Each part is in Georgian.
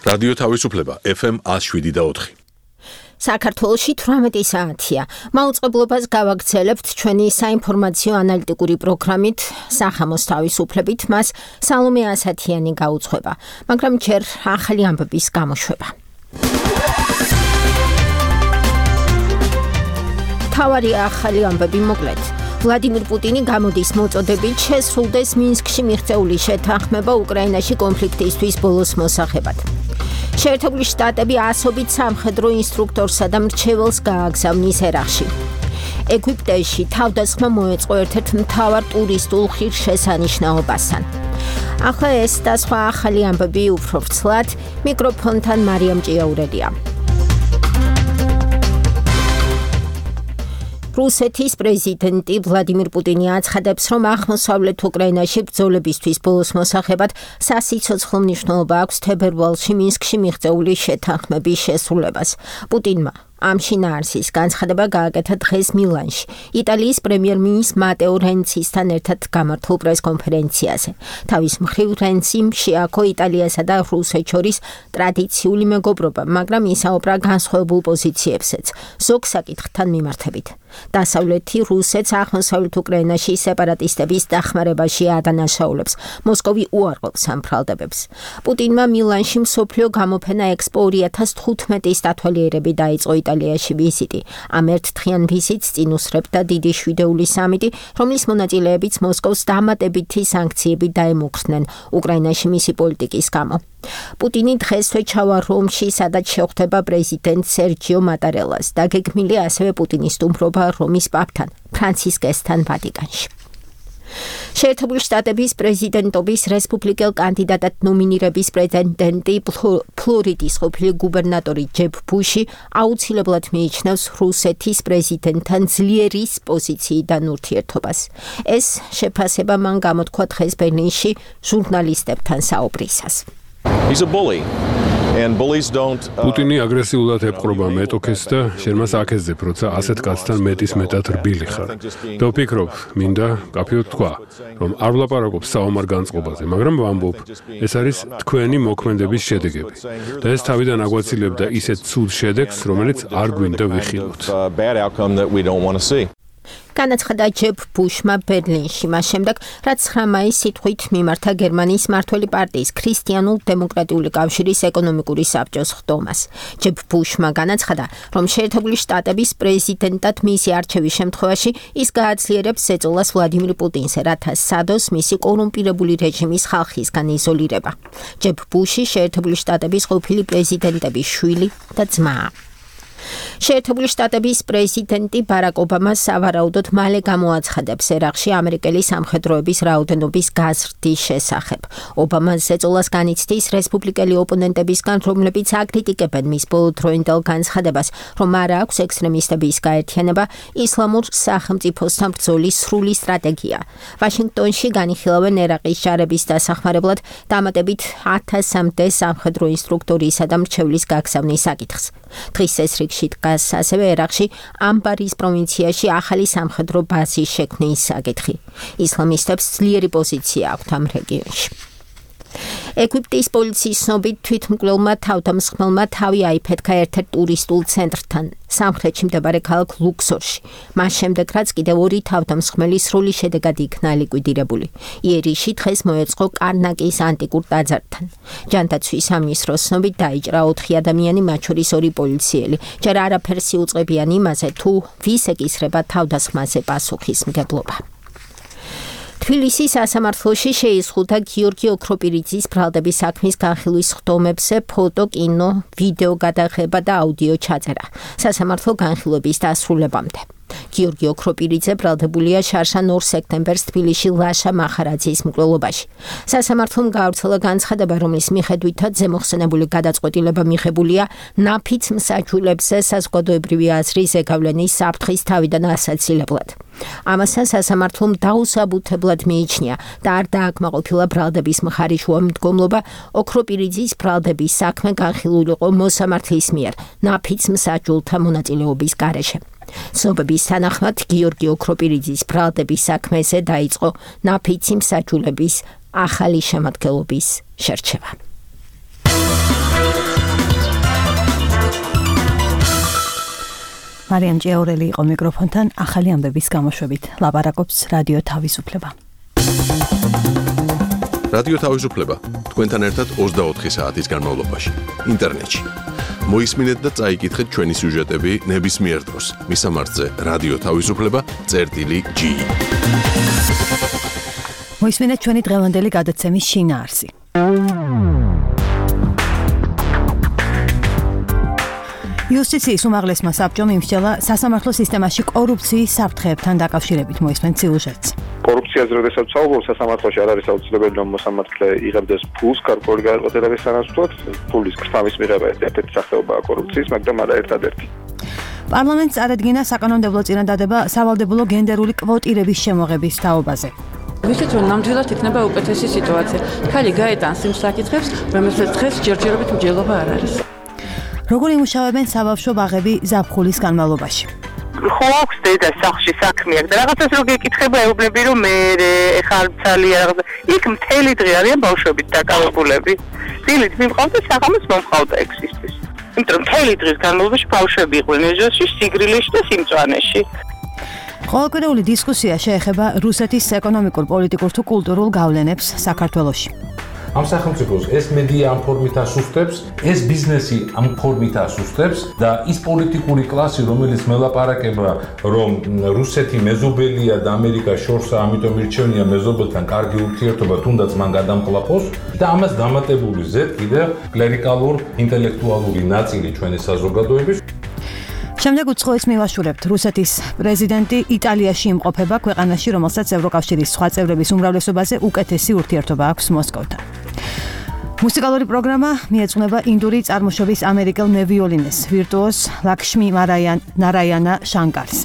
რადიო თავისუფლება FM 107.4. საქართველოში 18 საათია. მაუწყებლობას გავაგრძელებთ ჩვენი საინფორმაციო ანალიტიკური პროგრამით სახამოს თავისუფლებით, მას სალომე ასათიანი გაუძღვება, მაგრამ ჯერ ახალი ამბების გამოშვება. თავარი ახალი ამბები მოკლედ. ვლადიმირ პუტინი გამოდის მოწოდებით შესრულდეს მინსკში მიღწეული შეთანხმება უკრაინაში კონფლიქტისთვის ბოლოს მოსახებად. შეერთებული შტატები ასობით სამხედრო ინსტრუქტორსა და მრჩეველს გააგზავნის ერაყში. ეგვიპტეში თავდასხმა მოეწყო ერთ-ერთ მთავარ ტურისტულ ღირსშესანიშნაობასთან. ახლა ეს და სხვა ახალი ამბები უფრო ვრცლად, მიკროფონთან მარიამ ჭიაურელია. რუსეთის პრეზიდენტი ვლადიმირ პუტინი აცხადებს, რომ აღმოსავლეთ უკრაინაში ბრძოლებისთვის ბოლოს მოსახებად სასიცოცხლო მნიშვნელობა აქვს თებერვალში მინსკში მიღწეული შეთანხმების შესრულებას. პუტინმა ამ შინაარსის განცხადება გააკეთა დღეს მილანში, იტალიის პრემიერ-მინისტრ მატეო რენცისთან ერთად გამართულ პრესკონფერენციაზე. თავის მხრივ რენციმ შეაქო იტალიასა და რუსეთს შორის ტრადიციული მეგობრობა, მაგრამ ისაუბრა განსხვავებულ პოზიციებზეც, ზოგ საკითხთან მიმართებით. დასავლეთი რუსეთს აღმოსავლეთ უკრაინაში სეპარატისტების დახმარებაში ადანაშაულებს, მოსკოვი უარყოფს ამ ბრალდებებს. პუტინმა მილანში მსოფლიო გამოფენა ექსპო 2015-ის დათვალიერებით დაიწყო იტალიაში ვიზიტი. ამ ერთდღიან ვიზიტს წინ უსწრებდა დიდი შვიდეული სამიტი, რომლის მონაწილეებიც მოსკოვს დამატებითი სანქციები დაემუქრნენ უკრაინაში მისი პოლიტიკის გამო. პუტინი დღესვე ჩავა რომში, სადაც შეხვდება პრეზიდენტ სერჯიო მატარელას და გეგმილი ასევე პუტინის სტუმრობა რომის პაპთან, ფრანცისკესთან ვატიკანში. შეერთებული შტატების პრეზიდენტობის რესპუბლიკელ კანდიდატად ნომინირების პრეტენდენტი ფლორიდის ყოფილი გუბერნატორი ჯებ ბუში აუცილებლად მიიჩნევს რუსეთის პრეზიდენტთან ძლიერის პოზიციიდან ურთიერთობას. ეს შეფასება მან გამოთქვა დღეს ბერლინში ჟურნალისტებთან საუბრისას. He's a bully. პუტინი აგრესიულად եպყრობა მეტოქეს და შენ მას აკეცდებ, როცა ასეთ კაცთან მეტად რბილი ხარ. და ვფიქრობ, მინდა კაფეოდ თქვა, რომ არ ვლაპარაკობ საომარ განწყობაზე, მაგრამ ვამბობ, ეს არის თქვენი მოქმედების შედეგები. და ეს თავიდან აგვაცილებდა ისეთ ცუდ შედეგს, რომელიც არ გვინდა ვიხილოთ. განაცხადა ჯებ ბუშმა ბერლინში, მას შემდეგ, რაც 9 მაისს სიტყვით მიმართა გერმანიის მმართველი პარტიის ქრისტიანულ დემოკრატიული კავშირის ეკონომიკური საბჭოს ხდომას. ჯებ ბუშმა განაცხადა, რომ შეერთებული შტატების პრეზიდენტად მისი არჩევის შემთხვევაში ის გააძლიერებს ზეწოლას ვლადიმირ პუტინზე, რათა სადოს მისი კორუმპირებული რეჟიმის ხალხისგან იზოლირება. ჯებ ბუში შეერთებული შტატების ყოფილი პრეზიდენტების შვილი და ძმაა. შეერთებული შტატების პრეზიდენტი ბარაკ ობამა სავარაუდოდ მალე გამოაცხადებს ერაყში ამერიკელი სამხედროების რაოდენობის გაზრდის შესახებ. ობამა ზეწოლას განიცდის რესპუბლიკელი ოპონენტებისგან, რომლებიც აკრიტიკებენ მის ბოლოდროინდელ განცხადებას, რომ არ აქვს ექსტრემისტების გაერთიანება ისლამურ სახელმწიფოსთან ბრძოლის სრული სტრატეგია. ვაშინგტონში განიხილავენ ერაყის ჯარების დასახმარებლად დამატებით 1000-მდე სამხედრო ინსტრუქტორისა და მრჩევლის გაგზავნის საკითხს. დღის ეს რიგში დგას ასევე ერაყში ამბარის პროვინციაში ახალი სამხედრო ბაზის შექმნის საკითხი. ისლამისტებს ძლიერი პოზიცია აქვთ ამ რეგიონში. ეგვიპტის პოლიციის ცნობით თვითმკვლელმა თავდამსხმელმა თავი აიფეთქა ერთ-ერთ ტურისტულ ცენტრთან, სამხრეთში მდებარე ქალაქ ლუქსორში. მას შემდეგ, რაც კიდევ 2 თავდამსხმელი სრული შედეგად იქნა ლიკვიდირებული. იერიში დღეს მოეწყო კარნაკის ანტიკურ ტაძართან. ჯანდაცვის სამინისტროს ცნობით დაიჭრა 4 ადამიანი, მათ შორის 2 პოლიციელი. ჯერ არაფერს იუწყებიან იმაზე, თუ ვის ეკისრება თავდასხმაზე პასუხისმგებლობა. თბილისის სასამართლოში შეიზღუდა გიორგი ოქროპირიძის ბრალდების საქმის განხილვის ხდომებზე ფოტო, კინო, ვიდეო გადაღება და აუდიო ჩაწერა. სასამართლო განხილვების დასრულებამდე. გიორგი ოქროპირიძე ბრალდებულია შარშან 2 სექტემბერს თბილისში ლაშა მახარაძის მკვლელობაში. სასამართლომ გაავრცელა განცხადება, რომლის მიხედვითაც ზემოხსენებული გადაწყვეტილება მიღებულია ნაფიც მსაჯულებზე საზოგადოებრივი აზრის ზეგავლენის საფრთხის თავიდან ასაცილებლად. ამასთან სასამართლომ დაუსაბუთებლად მიიჩნია და არ დააკმაყოფილა ბრალდების მხარიშუა მდგომლობა ოქროპირიძის ბრალდების საქმე განხილულიყო მოსამართლის მიერ ნაფიც მსაჯულთა მონაწილეობის გარეშე. ცნობების თანახმად გიორგი ოქროპირიძის ბრალდების საქმეზე დაიწყო ნაფიცი მსაჯულების ახალი შემადგენლობის შერჩევა. მარიამ ჭიაურელი იყო მიკროფონთან, ახალი ამბების გამოშვებით ლაპარაკობს რადიო თავისუფლება. რადიო თავისუფლება თქვენთან ერთად 24 საათის განმავლობაში ინტერნეტში. მოისმინეთ და წაიკითხეთ ჩვენი სიუჟეტები ნებისმიერ დროს. მისამართზე რადიო თავისუფლება.gi. მოისმინეთ ჩვენი დღევანდელი გადაცემის შინაარსი. იუსტიციის უმაღლესმა საბჭომ იმსჯელა სასამართლო სისტემაში კორუფციის საფრთხეებთან დაკავშირებით მოისმენთ სიუჟეტს. კორუფციაზე როდესაც საუბრობ, სასამართლოში არ არის აუცილებელი, რომ მოსამართლე იღებდეს ფულს გარკვეული გადაწყვეტილების სანაცვლოდ. ფულის ქრთამის მიღება ერთ-ერთი სახეობაა კორუფციის, მაგრამ არა ერთადერთი. პარლამენტს წარადგინა საკანონმდებლო წინადადება სავალდებულო გენდერული კვოტირების შემოღების თაობაზე. ვიცით, რომ ნამდვილად იქნება უკეთესი სიტუაცია. ქალი გაეტანს იმ საკითხებს, რომელსაც დღეს ჯერჯერობით მსჯელობა არ არის. როგორ იმუშავებენ საბავშვო ბაღები ზაფხულის განმავლობაში? ხო აქვს დედა სახლში საქმე აქვს და რაღაცას რო გეკითხება ეუბნები რომ მე ეხლა ცალია რაღაცა იქ მთელი დღე არიან ბავშვებით დაკავებულები. დილით მიმყავდა საღამოს მომყავდა ექსისტის. იმიტომ რომ მთელი დღის განმავლობაში ბავშვები იყვნენ ეჟოში, სიგრილეში და სიმწვანეში. ყოველკვირეული დისკუსია შეეხება რუსეთის ეკონომიკურ, პოლიტიკურ თუ კულტურულ გავლენებს საქართველოში. ამ სახელმწიფოს ეს მედია ამ ფორმით ასუსტებს, ეს ბიზნესი ამ ფორმით ასუსტებს და ის პოლიტიკური კლასი, რომელიც მელაპარაკება, რომ რუსეთი მეზობელია და ამერიკა შორსა, ამიტომ ირჩევნია მეზობელთან კარგი ურთიერთობა, თუნდაც მან გადამყლაპოს და ამას დამატებული ზედ კიდე კლერიკალურ ინტელექტუალური ნაწილი ჩვენი საზოგადოების. შემდეგ უცხოეთს მივაშურებთ. რუსეთის პრეზიდენტი იტალიაში იმყოფება, ქვეყანაში, რომელსაც ევროკავშირის სხვა წევრების უმრავლესობაზე უკეთესი ურთიერთობა აქვს მოსკოვთან. მუსიკალური პროგრამა მიეძღვნება ინდური წარმოშობის ამერიკელ მევიოლინეს, ვირტუოზ ლაქშმი ნარაიანა შანკარს.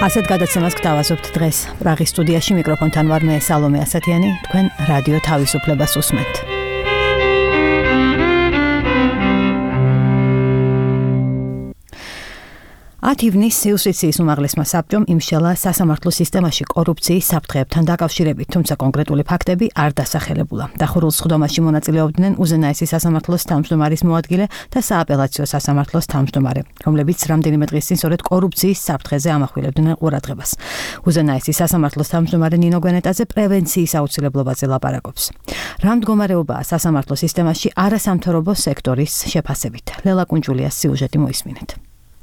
ასეთ გადაცემას გთავაზობთ დღეს. პრაღის სტუდიაში მიკროფონთან ვარ მე სალომე ასათიანი, თქვენ რადიო თავისუფლებას უსმენთ. 10 ივნისს იუსტიციის უმაღლესმა საბჭომ იმსჯელა სასამართლო სისტემაში კორუფციის საფრთხეებთან დაკავშირებით, თუმცა კონკრეტული ფაქტები არ დასახელებულა. დახურულ სხდომაში მონაწილეობდნენ უზენაესი სასამართლოს თავმჯდომარის მოადგილე და სააპელაციო სასამართლოს თავმჯდომარე, რომლებიც რამდენიმე დღის წინ სწორედ კორუფციის საფრთხეზე ამახვილებდნენ ყურადღებას. უზენაესი სასამართლოს თავმჯდომარე ნინო გვენეტაძე პრევენციის აუცილებლობაზე ლაპარაკობს. რა მდგომარეობაა სასამართლო სისტემაში არასამთავრობო სექტორის შეფასებით? ლელა კუნჯულიას სიუჟეტი მოისმინეთ.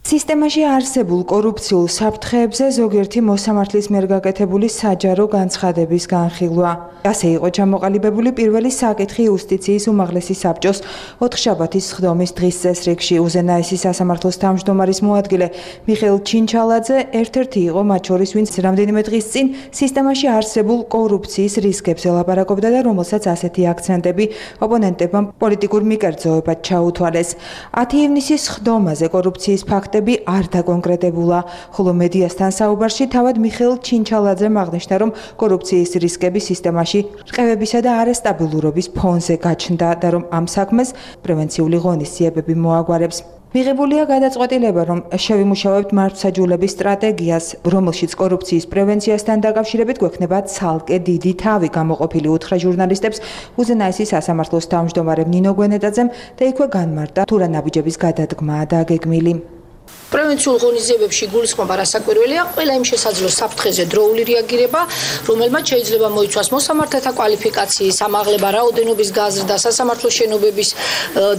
სისტემაში არსებულ კორუფციულ საფრთხეებზე ზოგიერთი მოსამართლის მიერ გაკეთებული საჯარო განცხადების განხილვა. ასე იყო ჩამოყალიბებული პირველი საკითხი იუსტიციის უმაღლესი საბჭოს ოთხშაბათის სხდომის დღის წესრიგში. უზენაესი სასამართლოს თავმჯდომარის მოადგილე მიხეილ ჩინჩალაძე ერთ-ერთი იყო მათ შორის, ვინც რამდენიმე დღის წინ სისტემაში არსებულ კორუფციის რისკებზე ლაპარაკობდა და რომელსაც ასეთი აქცენტები ოპონენტებმა პოლიტიკურ მიკერძოებად ჩაუთვალეს. 10 ივნისის სხდომაზე კორუფციის ფაქტები არ დაკონკრეტებულა, ხოლო მედიასთან საუბარში თავად მიხეილ ჩინჩალაძემ აღნიშნა, რომ კორუფციის რისკები სისტემაში რყევებისა და არასტაბილურობის ფონზე გაჩნდა და რომ ამ საქმეს პრევენციული ღონისძიებები მოაგვარებს. მიღებულია გადაწყვეტილება, რომ შევიმუშავებთ მართლმსაჯულების სტრატეგიას, რომელშიც კორუფციის პრევენციასთან დაკავშირებით გვექნება ცალკე დიდი თავი. გამოყოფილი უთხრა ჟურნალისტებს უზენაესი სასამართლოს თავმჯდომარემ ნინო გვენეტაძემ და იქვე განმარტა, თუ რა ნაბიჯების გადადგმაა დაგეგმილი. პრევენციულ ღონისძიებებში გულისხმობა რასაკვირველია, ყველა იმ შესაძლო საფრთხეზე დროული რეაგირება, რომელმაც შეიძლება მოიცვას მოსამართლეთა კვალიფიკაციის ამაღლება, რაოდენობის გაზრდა, სასამართლოს შენობების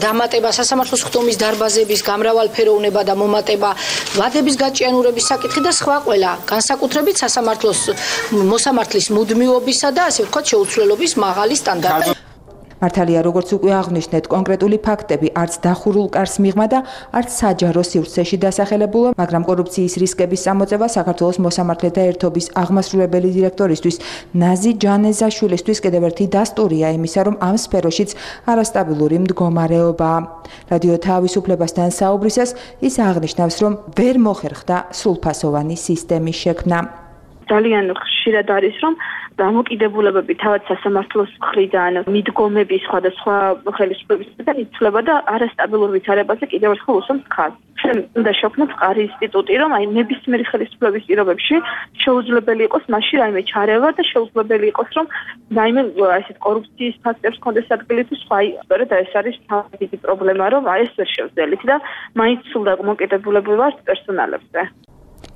დამატება, სასამართლოს სხდომის დარბაზების გამრავალფეროვნება და მომატება, ვადების გაჭიანურების საკითხი და სხვა ყველა, განსაკუთრებით სასამართლოს მოსამართლის მუდმივობისა და ასე ვთქვათ შეუცვლელობის მაღალი სტანდარტი. მართალია, როგორც უკვე აღნიშნეთ, კონკრეტული ფაქტები არც დახურულ კარს მიღმა და არც საჯარო სივრცეში დასახელებულა, მაგრამ კორუფციის რისკების წამოწევა საქართველოს მოსამართლეთა ერთობის აღმასრულებელი დირექტორისთვის ნაზი ჯანეზაშვილისთვის კიდევ ერთი დასტურია იმისა, რომ ამ სფეროშიც არასტაბილური მდგომარეობაა. რადიო თავისუფლებასთან საუბრისას ის აღნიშნავს, რომ ვერ მოხერხდა სრულფასოვანი სისტემის შექმნა. ძალიან ხშირად არის, რომ დამოკიდებულებები თავად სასამართლოს მხრიდან, მიდგომები სხვადასხვა ხელისუფლებისგან იცვლება და არასტაბილურ ვითარებაზე კიდევ ერთხელ უსვამს ხაზს. უნდა შევქმნათ მყარი ინსტიტუტი, რომ აი ნებისმიერი ხელისუფლების პირობებში შეუძლებელი იყოს მასში რაიმე ჩარევა და შეუძლებელი იყოს, რომ რაიმე ესეთ კორუფციის ფაქტებს კონდეს ადგილი თუ სხვა. სწორედ ეს არის თავი დიდი პრობლემა, რომ აი ეს ვერ შევძელით და მაინც სულ დამოკიდებულებული ვართ პერსონალებზე.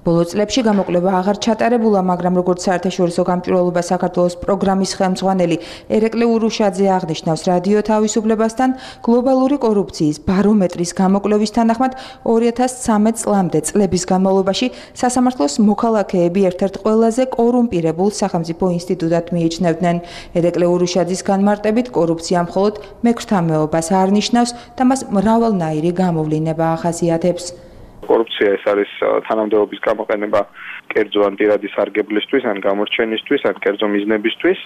ბოლო წლებში გამოკვლევა აღარ ჩატარებულა, მაგრამ როგორც საერთაშორისო გამჭვირვალობა საქართველოს პროგრამის ხელმძღვანელი ერეკლე ურუშაძე აღნიშნავს, რადიო თავისუფლებასთან გლობალური კორუფციის ბარომეტრის გამოკვლევის თანახმად 2013 წლამდე წლების განმავლობაში სასამართლოს მოქალაქეები ერთ-ერთ ყველაზე კორუმპირებულ სახელმწიფო ინსტიტუტად მიიჩნევდნენ. ერეკლე ურუშაძის განმარტებით, კორუფცია მხოლოდ მექვთამეობას არ ნიშნავს და მას მრავალნაირი გამოვლინება ახასიათებს. კორუფცია ეს არის თანამდებობის გამოყენება კერძო ან პირადი სარგებლისთვის, ან გამორჩენისთვის, ან კერძო მიზნებისთვის.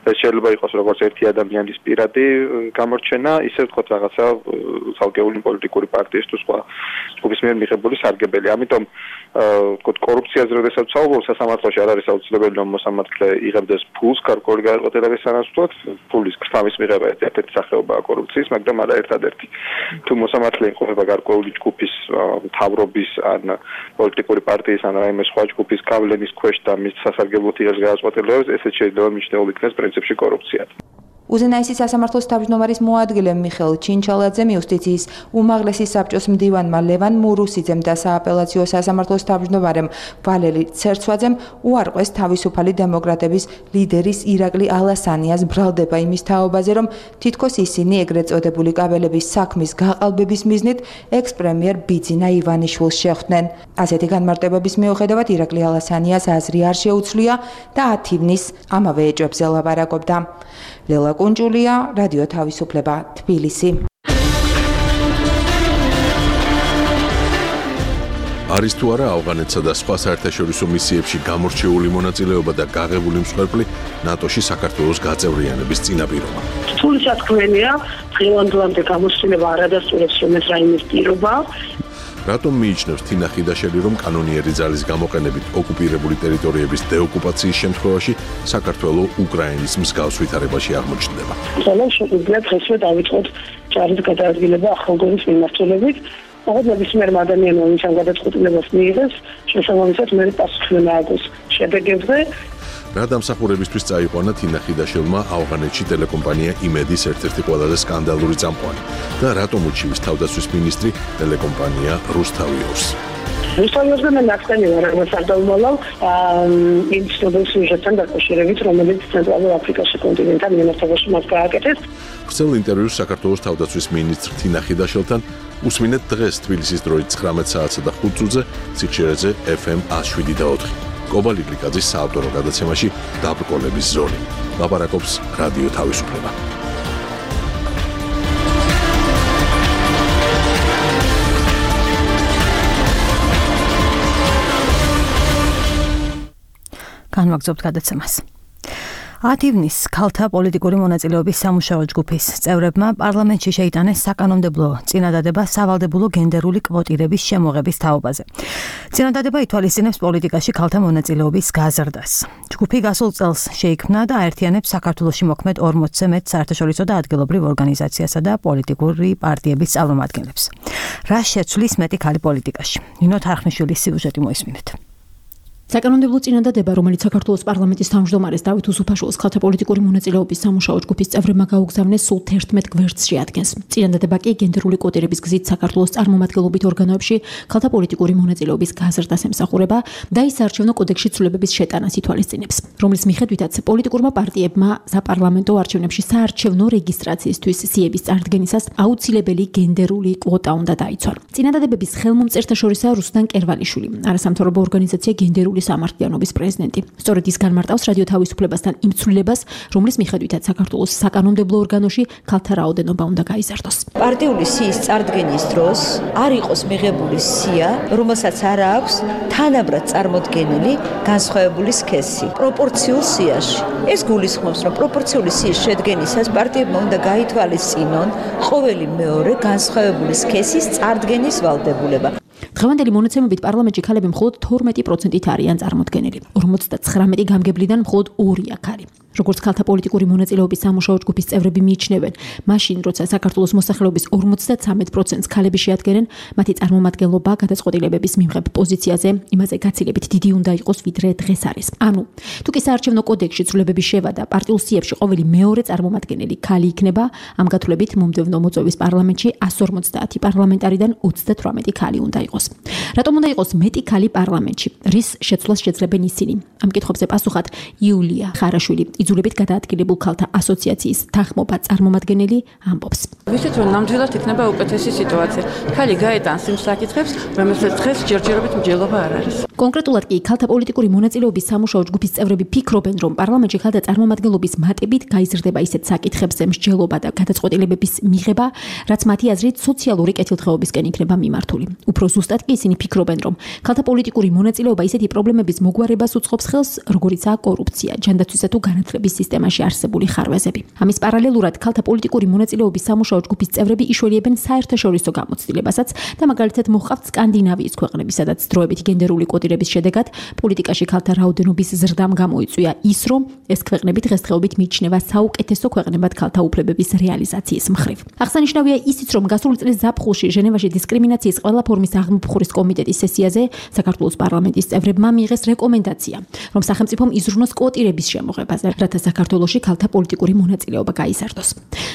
ეს შეიძლება იყოს როგორც ერთი ადამიანის პირადი გამორჩენა, ისე ვთქვათ რაღაცა ცალკეული პოლიტიკური პარტიის თუ სხვა ჯგუფის მიერ მიღებული სარგებელი. ამიტომ ვთქვათ კორუფციაზე როდესაც ვსაუბრობ, სასამართლოში არ არის აუცილებელი რომ მოსამართლე იღებდეს ფულს გარკვეული გადაწყვეტილების სანაცვლოდ. ფულის ქრთამის მიღება ერთ-ერთი სახეობაა კორუფციის, მაგრამ არა ერთადერთი. თუ მოსამართლე იმყოფება გარკვეული ჯგუფის მთავრობის ან პოლიტიკური პარტიის ან რაიმე სხვა ჯგუფის გავლენის ქვეშ და მის სასარგებლოდ იღებს გადაწყვეტილებებს, ესეც შეიძლება მიჩნეულ იქნეს პრინციპში კორუფციად. უზენაესი სასამართლოს თავმჯდომარის მოადგილე მიხეილ ჩინჩალაძემ იუსტიციის უმაღლესი საბჭოს მდივანმა ლევან მურუსიძემ და სააპელაციო სასამართლოს თავმჯდომარემ ვალერი ცერცვაძემ უარყვეს თავისუფალი დემოკრატების ლიდერის ირაკლი ალასანიას ბრალდება იმის თაობაზე, რომ თითქოს ისინი ეგრეთ წოდებული კაბელების საქმის გაყალბების მიზნით ექს-პრემიერ ბიძინა ივანიშვილს შეხვდნენ. ასეთი განმარტებების მიუხედავად ირაკლი ალასანიას აზრი არ შეუცვლია და 10 ივნის ამავე ეჭვებზე ლაპარაკობდა. ლელა კუნჭულია, რადიო თავისუფლება, თბილისი. არის თუ არა ავღანეთსა და სხვა საერთაშორისო მისიებში გამორჩეული მონაწილეობა და გაღებული მსხვერპლი ნატოში საქართველოს გაწევრიანების წინაპირობა. რთული საქმეა, დღევანდლამდე გამოცდილება არ ადასტურებს რომელიც რაიმე პირობა. რატომ მიიჩნევს თინა ხიდაშელი, რომ კანონიერი ძალის გამოყენებით ოკუპირებული ტერიტორიების დეოკუპაციის შემთხვევაში საქართველო უკრაინის მსგავს ვითარებაში აღმოჩნდება? ძალიან შეგვიძლია დღესვე დავიწყოთ ჯარის გადაადგილება ახალგორის მიმართულებით. ოღონდ ნებისმიერ ადამიანმა ვინც ამ გადაწყვეტილებას მიიღებს, შესაბამისად მე პასუხი მააგოს შედეგებზე. რა დამსახურებისთვის წაიყვანა თინა ხიდაშელმა ავღანეთში ტელეკომპანია იმედის ერთ-ერთი ყველაზე სკანდალური წამყვანი და რატომ უჩივის თავდაცვის მინისტრი ტელეკომპანია რუსთავიორს? რუსთავიორზე მე ნახტენი ვარ, რაღაც არ დავუმალავ იმ ცნობილ სიუჟეტთან დაკავშირებით, რომელიც ცენტრალურ აფრიკაში კონტინენტთან მიმართებაში მას გააკეთეს. ვრცელ ინტერვიუს საქართველოს თავდაცვის მინისტრ თინა ხიდაშელთან უსმინეთ დღეს თბილისის დროით 19 საათსა და 5 წუთზე ციხშირეზე FM 107.4. კობალი გლიკაძის საავტორო გადაცემაში დაბრკოლების ზოლი. ლაპარაკობს რადიო თავისუფლება. განვაგრძობთ გადაცემას. 10 ივნის ქალთა პოლიტიკური მონაწილეობის სამუშაო ჯგუფის წევრებმა პარლამენტში შეიტანეს საკანონმდებლო წინადადება სავალდებულო გენდერული კვოტირების შემოღების თაობაზე. წინადადება ითვალისწინებს პოლიტიკაში ქალთა მონაწილეობის გაზრდას. ჯგუფი გასულ წელს შეიქმნა და აერთიანებს საქართველოში მოქმედ 40-ზე მეტ საერთაშორისო და ადგილობრივ ორგანიზაციასა და პოლიტიკური პარტიების წარმომადგენლებს. რა შეცვლის მეტი ქალი პოლიტიკაში? ნინო თარხნიშვილის სიუჟეტი მოისმინეთ. საკანონმდებლო წინადადება, რომელიც საქართველოს პარლამენტის თავმჯდომარეს დავით უსუფაშვილის ქალთა პოლიტიკური მონაწილეობის სამუშაო ჯგუფის წევრებმა გაუგზავნეს სულ 11 გვერდს შეადგენს. წინადადება კი გენდერული კვოტირების გზით საქართველოს წარმომადგენლობით ორგანოებში ქალთა პოლიტიკური მონაწილეობის გაზრდას ემსახურება და ის საარჩევნო კოდექსში ცვლილებების შეტანას ითვალისწინებს, რომლის მიხედვითაც პოლიტიკურმა პარტიებმა საპარლამენტო არჩევნებში საარჩევნო რეგისტრაციისთვის სიების წარდგენისას აუცილებელი გენდერული კვოტა უნდა დაიცვან. წინადადებების ხელმომწერთა შორისაა რუსლან კერვალიშვილი, არასამთავრობო ორგანიზაცია გენდერული სამართლიანობის პრეზიდენტი. სწორედ ის განმარტავს რადიო თავისუფლებასთან იმ ცვლილებას, რომლის მიხედვითაც საქართველოს საკანონმდებლო ორგანოში ქალთა რაოდენობა უნდა გაიზარდოს. პარტიული სიის წარდგენის დროს არ იყოს მიღებული სია, რომელსაც არ აქვს თანაბრად წარმოდგენილი განსხვავებული სქესი პროპორციულ სიაში. ეს გულისხმობს, რომ პროპორციული სიის შედგენისას პარტიებმა უნდა გაითვალისწინონ ყოველი მეორე განსხვავებული სქესის წარდგენის ვალდებულება. დღევანდელი მონაცემებით პარლამენტში ქალები მხოლოდ 12%-ით არიან წარმოდგენილი. 59 გამგებლიდან მხოლოდ 2 აქ არის. როგორც ქალთა პოლიტიკური მონაწილეობის სამუშაო ჯგუფის წევრები მიიჩნევენ, მაშინ როცა საქართველოს მოსახლეობის 53%-ს ქალები შეადგენენ, მათი წარმომადგენლობა გადაწყვეტილებების მიმღებ პოზიციაზე იმაზე გაცილებით დიდი უნდა იყოს, ვიდრე დღეს არის. ანუ, თუ კი საარჩევნო კოდექსში ცვლილებების შევადა პარტიულ სიებში ყოველი მეორე წარმომადგენელი ქალი იქნება, ამ გათვლებით მომდევნო მოწვევის პარლამენტში 150 პარლამენტარიდან 38 ქალი უნდა იყოს. რატომ უნდა იყოს მეტი ქალი პარლამენტში? რის შეცვლას შეძლებენ ისინი? ამ კითხვებზე პასუხად იულია ხარაშვილი, იძულებით გადაადგილებულ ქალთა ასოციაციის თანხმობა წარმომადგენელი ამბობს. ვიცით, რომ ნამდვილად იქნება უკეთესი სიტუაცია. ქალი გაეტანს იმ საკითხებს, რომელსაც დღეს ჯერჯერობით მსჯელობა არ არის. კონკრეტულად კი ქალთა პოლიტიკური მონაწილეობის სამუშაო ჯგუფის წევრები ფიქრობენ, რომ პარლამენტში ქალთა წარმომადგენლობის მატებით გაიზრდება ისეთ საკითხებზე მსჯელობა და გადაწყვეტილებების მიღება, რაც მათი აზრით სოციალური კეთილდღეობისკენ იქნება მიმართული. უფრო ზუსტად კი ისინი ფიქრობენ, რომ ქალთა პოლიტიკური მონაწილეობა ისეთი პრობლემების მოგვარებას უწყობს ხელს, როგორიცაა კორუფცია, ჯანდაცვისა თუ განათლების სისტემაში არსებული ხარვეზები. ამის პარალელურად ქალთა პოლიტიკური მონაწილეობის სამუშაო ჯგუფის წევრები იშველიებენ საერთაშორისო გამოცდილებასაც და მაგალითად მოჰყავთ სკანდინავიის ქვეყნები, სადაც დროებითი გენდერული კოდირების შედეგად პოლიტიკაში ქალთა რაოდენობის ზრდამ გამოიწვია ის, რომ ეს ქვეყნები დღესდღეობით მიიჩნევა საუკეთესო ქვეყნებად ქალთა უფლებების რეალიზაციის მხრივ. აღსანიშნავია ისიც, რომ გასული წლის ზაფხულში ჟენევაში დისკრიმინაციის ყველა ფორმის აღმოფხურის კომიტეტის სესიაზე საქართველოს პარლამენტის წევრებმა მიიღეს რეკომენდაცია, რომ სახელმწიფომ იზრუნოს კვოტირების შემოღებაზე, რათა საქართველოში ქალთა პოლიტიკური მონაწილეობა გაიზარდოს.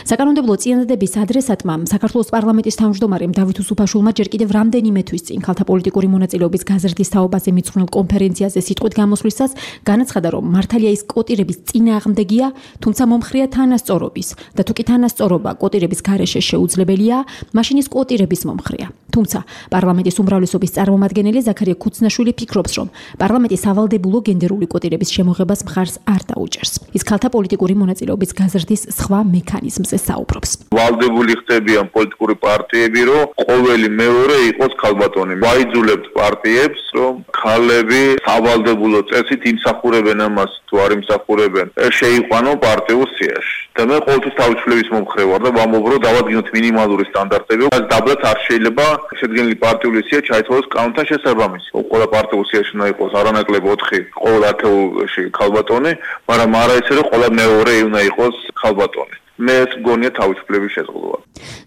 საკანონმდებლო წინადადების ადრესატმა საქართველოს პარლამენტის თავმჯდომარემ დავით უსუფაშვილმა ჯერ კიდევ რამდენიმე თვის წინ ქალთა პოლიტიკური მონაწილეობის გაზრდის თაობაზე მიძღვნილ კონფერენციაზე სიტყვით გამოსვლისას განაცხადა, რომ მართალია ის კვოტირების წინააღმდეგია, თუმცა მომხრეა თანასწორობის და თუ კი თანასწორობა კვოტირების გარეშე შეუძლებელია, მაშინ ის კვოტირების მომხრეა. თუმცა პარლამენტის უმრავლესობის წარმომადგენელი ზაქარია ქუცნაშვილი ფიქრობს, რომ პარლამენტი სავალდებულო გენდერული კვოტირების შემოღებას მხარს არ დაუჭერს. ის ქალთა პოლიტიკური მონაწილეობის გაზრდის სხვა მექანიზმზე საუბრობს. ვალდებული ხდებიან პოლიტიკური პარტიები, რომ ყოველი მეორე იყოს ქალბატონი. ვაიძულებთ პარტიებს, რომ ქალები სავალდებულო წესით იმსახურებენ ამას, თუ არ იმსახურებენ, შეიყვანო პარტიულ სიაში. და მე ყოველთვის თავისუფლების მომხრე ვარ და ვამბობ, რომ დავადგინოთ მინიმალური სტანდარტები, რაც დაბლაც არ შეიძლება შედგენილი პარტიული სია ჩაითვალოს კანონთან შესაბამისი. ყველა პარტიულ სიაში უნდა იყოს არანაკლებ 4 ყოველ ათეულში ქალბატონი, მაგრამ არა ისე, რომ ყველა მეორე უნდა იყოს ქალბატონი. მე ეს მგონია თავისუფლების შეზღუდვა.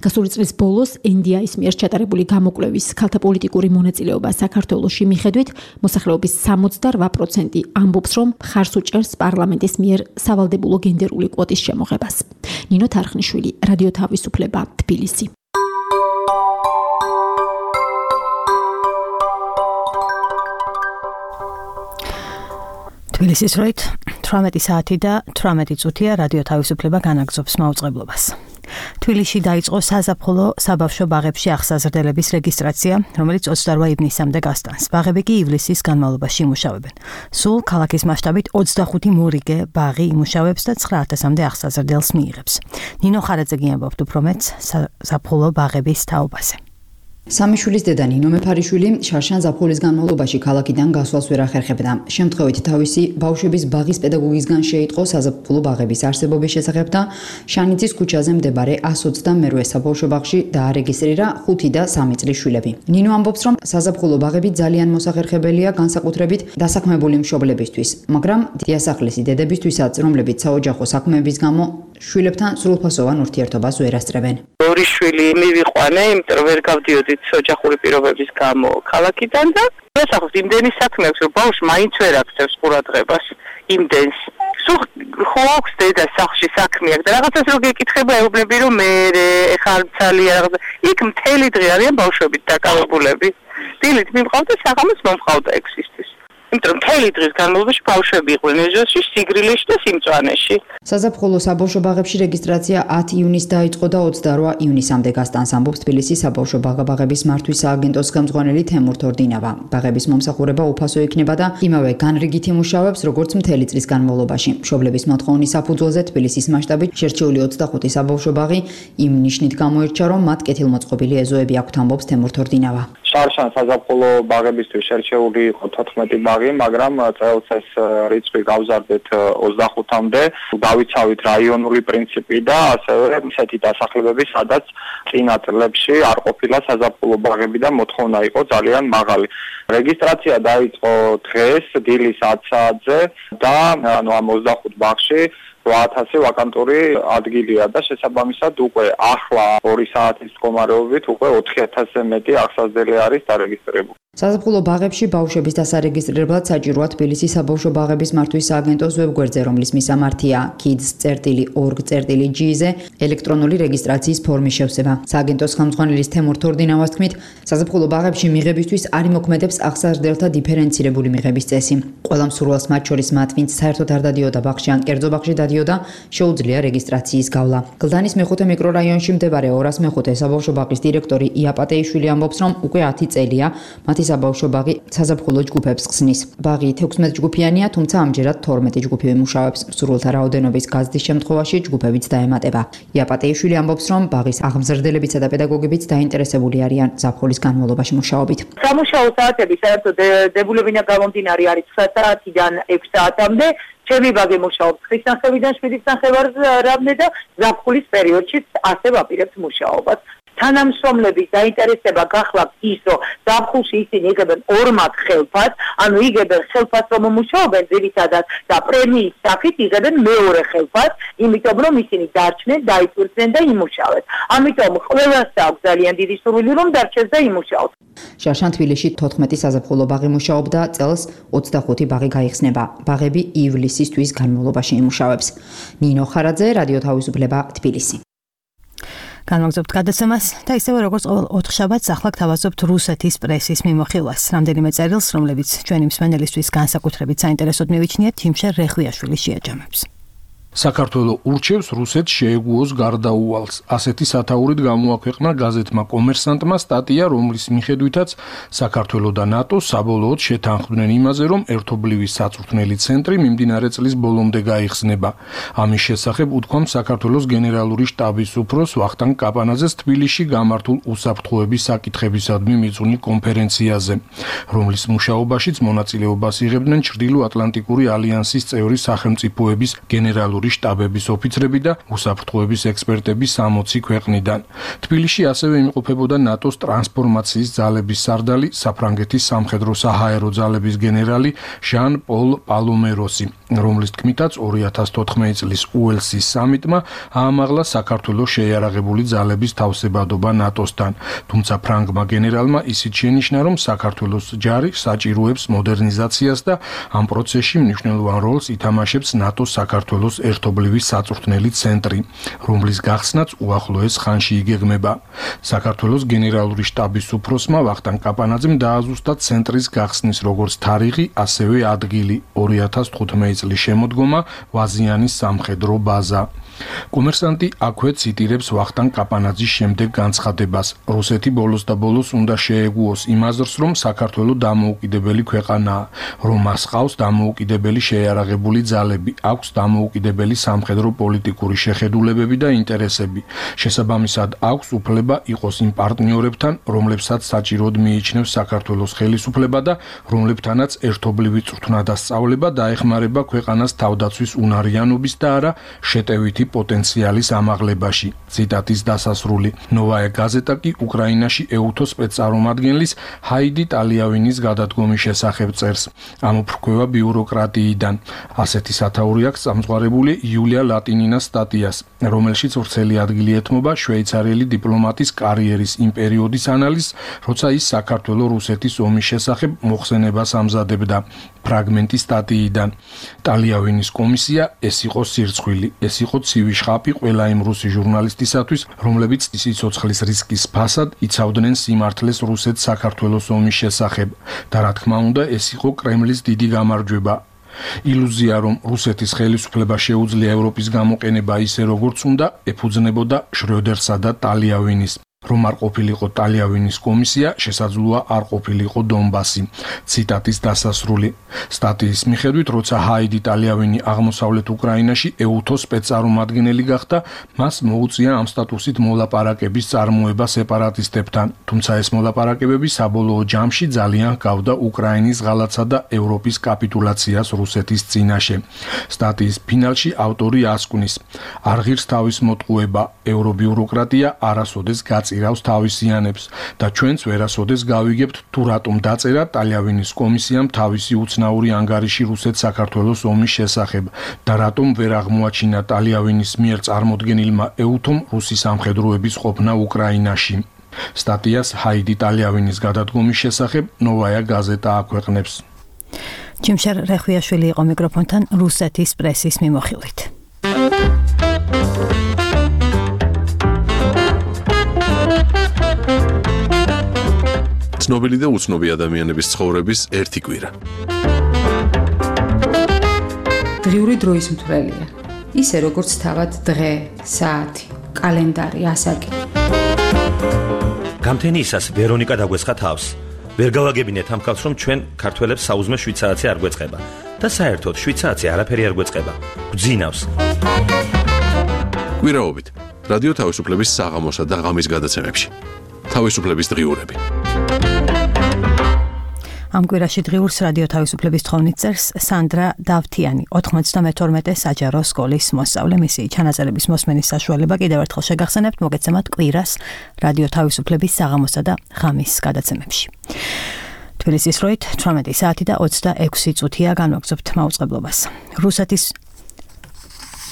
გასული წლის ბოლოს NDI-ის მიერ ჩატარებული გამოკვლევის ქალთა პოლიტიკური მონაწილეობა საქართველოში მიხედვით მოსახლეობის 68% ამბობს, რომ მხარს უჭერს პარლამენტის მიერ სავალდებულო გენდერული კვოტის შემოღებას. ნინო თარხნიშვილი, რადიო თავისუფლება, თბილისი. თბილისის დროით 18 საათი და 18 წუთია რადიო თავისუფლება განაგრძობს მაუწყებლობას. თბილისში დაიწყო საზაფხულო საბავშვო ბაღებში აღსაზრდელების რეგისტრაცია, რომელიც 28 ივნისამდე გასტანს. ბაღები კი ივლისის განმავლობაში იმუშავებენ. სულ ქალაქის მასშტაბით 25 მორიგე ბაღი იმუშავებს და 9000-მდე აღსაზრდელს მიიღებს. ნინო ხარაძე ამბობს უფრო მეტს საზაფხულო ბაღების თაობაზე. სამიშვილის დედა ნინო მეფარიშვილი შარშან ზაფხულის განმავლობაში ქალაქიდან გასვლას ვერ ახერხებდა. შემთხვევით თავისი ბავშვების ბაღის პედაგოგისგან შეიტყო საზაფხულო ბაღების არსებობის შესახებ და შანიძის ქუჩაზე მდებარე 122 საბავშვო ბაღში დაარეგისტრირა 5 და 3 წლის შვილები. ნინო ამბობს, რომ საზაფხულო ბაღები ძალიან მოსახერხებელია განსაკუთრებით დასაქმებული მშობლებისთვის, მაგრამ დიასახლისი დედებისთვისაც, რომლებიც საოჯახო საქმეების გამო შვილებთან სრულფასოვან ურთიერთობას ვერ ასწრებენ. ორი შვილი მივიყვანე, იმიტომ რომ ვერ გავდიოდით ოჯახური პირობების გამო ქალაქიდან და დასახლეთ იმდენი საქმე აქვს, რომ ბავშვი მაინც ვერ აქცევს ყურადღებას იმდენს. სულ ხო აქვს დედა სახლში საქმე აქვს და რაღაცას რო გეკითხება ეუბნები, რომ მე ეხლა ცალია რაღაცა. იქ მთელი დღე არიან ბავშვებით დაკავებულები. დილით მიმყავდა, საღამოს მომყავდა ექვსისთვის. იმიტომ მთელი დღის განმავლობაში ბავშვები იყვნენ ეზოში, სიგრილეში და სიმწვანეში. საზაფხულო საბავშვო ბაღებში რეგისტრაცია 10 ივნისს დაიწყო და 28 ივნისამდე გასტანს, ამბობს თბილისის საბავშვო ბაღების მართვის სააგენტოს ხელმძღვანელი თემურ თორდინავა. ბაღების მომსახურება უფასო იქნება და იმავე განრიგით იმუშავებს, როგორც მთელი წლის განმავლობაში. მშობლების მოთხოვნის საფუძველზე თბილისის მასშტაბით შერჩეული 25 საბავშვო ბაღი იმ ნიშნით გამოირჩა, რომ მათ კეთილმოწყობილი ეზოები აქვთ, ამბობს თემურ თორდინავა. შარშან საზაფხულო ბაღებისთვის შერჩეული იყო 14 ბაღი, მაგრამ წელს ეს რიცხვი გავზარდეთ 25-მდე. დავიცავით რაიონული პრინციპი და ასევე ისეთი დასახლებები, სადაც წინა წლებში არ ყოფილა საზაფხულო ბაღები და მოთხოვნა იყო ძალიან მაღალი. რეგისტრაცია დაიწყო დღეს დილის 10 საათზე და ამ 25 ბაღში 8000 ვაკანტური ადგილია და შესაბამისად უკვე ახლა 2 საათის მდგომარეობით უკვე 4000-ზე მეტი აღსაზრდელი არის დარეგისტრირებული. საზაფხულო ბაღებში ბავშვების დასარეგისტრირებლად საჭიროა თბილისის საბავშვო ბაღების მართვის სააგენტოს ვებგვერდზე, რომლის მისამართია kids.org.gz-ზე ელექტრონული რეგისტრაციის ფორმის შევსება. სააგენტოს ხელმძღვანელის თემურ თორდინავას თქმით, საზაფხულო ბაღებში მიღებისთვის არ იმოქმედებს აღსაზრდელთა დიფერენცირებული მიღების წესი. ყველა მსურველს, მათ შორის მათ, ვინც საერთოდ არ დადიოდა ბაღში ან კერძო ბაღში დადიოდა, შეუძლია რეგისტრაციის გავლა. გლდანის მეხუთე მიკრორაიონში მდებარე 205 საბავშვო ბაღის დირექტორი იაპატეიშვილი ამბობს, რომ უკვე 10 წელია მათი საბავშვო ბაღი საზაფხულო ჯგუფებს ხსნის. ბაღი 16 ჯგუფიანია, თუმცა ამჯერად 12 ჯგუფი მუშაობს. მსურველთა რაოდენობის გაზრდის შემთხვევაში ჯგუფებიც დაემატება. იაპატეიშვილი ამბობს, რომ ბაღის აღმზრდელებიცა და პედაგოგებიც დაინტერესებული არიან ზაფხულის განმავლობაში მუშაობით. სამუშაო საათები საერთოდ დებულებინა გამომდინარე არის 9 საათიდან 6 საათამდე. ჩემი ბაღი მუშაობს 9 ნახევრიდან 7 ნახევარამდე და ზაფხულის პერიოდშიც ასე ვაპირებთ მუშაობას. თანამშრომლების დაინტერესება გახლავთ ის, რომ ზაფხულში ისინი იგებენ ორმად ხელფას, ანუ იგებენ ხელფას, რომ მუშაობენ ძირითადად და პრემიის სახით იგებენ მეორე ხელფას, იმიტომ რომ ისინი დარჩნენ, დაიწურდნენ და იმუშავენ. ამიტომ ყველას აქვს ძალიან დიდი სურვილი, რომ დარჩეს და იმუშაოს. შარშან თბილისში 14 საზაფხულო ბაღი მუშაობდა, წელს 25 ბაღი გაიხსნება. ბაღები ივლისისთვის განმავლობაში იმუშავებს. ნინო ხარაძე, რადიო თავისუფლება, თბილისი. განვაგრძობთ გადაცემას და ისევე როგორც ყოველ 4 შაბათს ახლა გთავაზობთ რუსეთის პრესის მიმოხილვას. რამდენიმე წერილს, რომლებიც ჩვენი მსმენელისთვის განსაკუთრებით საინტერესოდ მივიჩნიათ, თიმშე რეხვიაშვილი შეაჯამებს. საქართველო ურჩევს რუსეთს შეეგუოს გარდაუვალს. ასეთი სათაურით გამოაქვეყნა გაზეთმა კომერსანტმა სტატია, რომლის მიხედვითაც საქართველო და ნატო საბოლოოდ შეთანხმდნენ იმაზე, რომ ერთობლივი საწვრთნელი ცენტრი მიმდინარე წლის ბოლომდე გაიხსნება. ამის შესახებ უთქვამ საქართველოს გენერალური შტაბის უფროს ვახტანგ კაპანაძეს თბილისში გამართულ უსაფრთხოების საკითხებისადმი მიწვნი კონფერენციაზე, რომლის მუშაობაშიც მონაწილეობას იღებდნენ ჩრდილო-ატლანტიკური ალიანსის წევრი სახელმწიფოების გენერალური შტაბების ოფიცრები და უსაფრთხოების ექსპერტები 60 ქვეყნიდან. თბილისში ასევე იმყოფებოდა ნატოს ტრანსფორმაციის ძალების სარდალი, საფრანგეთის სამხედრო-საჰაერო ძალების გენერალი ჟან-პოლ პალომეროსი, რომლის თქმითაც 2014 წლის უელსის სამიტმა აამაღლა საქართველოს შეიარაღებული ძალების თავსებადობა ნატოსთან. თუმცა ფრანგმა გენერალმა ისიც შენიშნა, რომ საქართველოს ჯარი საჭიროებს მოდერნიზაციას და ამ პროცესში მნიშვნელოვან როლს ითამაშებს ნატოს საქართველოს ერთობლივი საწვრთნელი ცენტრი, რომლის გახსნაც უახლოეს ხანში იგეგმება. საქართველოს გენერალური შტაბის უფროსმა ვახტანგ კაპანაძემ დააზუსტა ცენტრის გახსნის როგორც თარიღი, ასევე ადგილი 2015 წლის შემოდგომა ვაზიანის სამხედრო ბაზა. კომერსანტი აქვე ციტირებს ვახტანგ კაპანაძის შემდეგ განცხადებას. რუსეთი ბოლოს და ბოლოს უნდა შეეგუოს იმ აზრს, რომ საქართველო დამოუკიდებელი ქვეყანაა, რომ მას ყავს დამოუკიდებელი შეიარაღებული ძალები, აქვს დამოუკიდებელი სამხედრო პოლიტიკური შეხედულებები და ინტერესები. შესაბამისად აქვს უფლება იყოს იმ პარტნიორებთან, რომლებსაც საჭიროდ მიიჩნევს საქართველოს ხელისუფლება და რომლებთანაც ერთობლივი წვრთნა და სწავლება დაეხმარება ქვეყანას თავდაცვის უნარიანობის და არა შეტევითი პოტენციალის ამაღლებაში. ციტატის დასასრული. ნოვაია გაზეტა კი უკრაინაში ეუთო სპეცწარმომადგენლის ჰაიდი ტალიავინის გადადგომის შესახებ წერს. ამოფრქვევა ბიუროკრატიიდან. ასეთი სათაური აქვს სამწვარებული იულია ლატინინას სტატიას, რომელშიც ვრცელი ადგილი ეთმობა შვეიცარიელი დიპლომატის კარიერის იმ პერიოდის ანალიზს, როცა ის საქართველო-რუსეთის ომის შესახებ მოხსენებას ამზადებდა. ფრაგმენტი სტატიიდან. ტალიავინის კომისია ეს იყო სირცხვილი, ეს იყო ცივი შხაპი ყველა იმ რუსი ჟურნალისტისათვის, რომლებიც სიცოცხლის რისკის ფასად იცავდნენ სიმართლეს რუსეთს საქართველოს ომის შესახებ და რა თქმა უნდა ეს იყო კრემლის დიდი გამარჯვება. ილუზია, რომ რუსეთის ხელისუფლება შეუძლია ევროპის გამოყენება ისე როგორც უნდა, ეფუძნებოდა შრიოდერსა და ტალიავინის. რომ არ ყოფილიყო ტალიავილის კომისია, შესაძლოა არ ყოფილიყო დონბასი. ციტატის დასასრული. სტატიის მიხედვით, როცა ჰაიდი ტალიავინი აღმოსავლეთ უკრაინაში ეუთოს სპეცწარმომადგენელი გახდა, მას მოუწია ამ სტატუსით მოლაპარაკების წარმოება სეპარატისტებთან, თუმცა ეს მოლაპარაკებები საბოლოო ჯამში ძალიან ჰგავდა უკრაინის ღალატსა და ევროპის კაპიტულაციას რუსეთის წინაშე. სტატიის ფინალში ავტორი ასკვნის: არ ღირს თავის მოტყუება, ევრობიუროკრატია არასოდეს გაწირავს თავისიანებს და ჩვენც ვერასოდეს გავიგებთ თუ რატომ დაწერა ტალიავილის კომისიამ თავისი უცნაური ანგარიში რუსეთ-საქართველოს ომის შესახებ და რატომ ვერ აღმოაჩინა ტალიავილის მიერ წარმოდგენილმა ეუთომ რუსი სამხედროების ყოფნა უკრაინაში. სტატიას ჰაიდი ტალიავილის გადადგომის შესახებ ნოვაია გაზეტა აქვეყნებს. ჯიმშარ რეხვიაშვილი იყო მიკროფონთან რუსეთის პრესის მიმოხილვით. ცნობილი და უცნობი ადამიანების ცხოვრების ერთი კვირა. დღიური დროის მთვრელია. ისე როგორც თავად დღე, საათი, კალენდარი, ასაკი. გამთენიისას ვერონიკა დაგვესხა თავს. ვერ გავაგებინეთ ამ ხალხს, რომ ჩვენ ქართველებს საუზმე 7 საათი არ გვეწყება და საერთოდ 7 საათი არაფერი არ გვეწყება. გვძინავს. კვირაობით რადიო თავისუფლების საღამოსა და ღამის გადაცემებში. თავისუფლების დღიურები. ამ კვირაში დღიურს რადიო თავისუფლების თხოვნით წერს სანდრა დავთიანი, 92 საჯარო სკოლის მოსწავლე. მისი ჩანაწერების მოსმენის საშუალება კიდევ ერთხელ შეგახსენებთ, მოგეცემათ კვირას რადიო თავისუფლების საღამოსა და ღამის გადაცემებში. თბილისის დროით 18 საათი და 26 წუთია განვაგრძობთ მაუწყებლობას. რუსეთის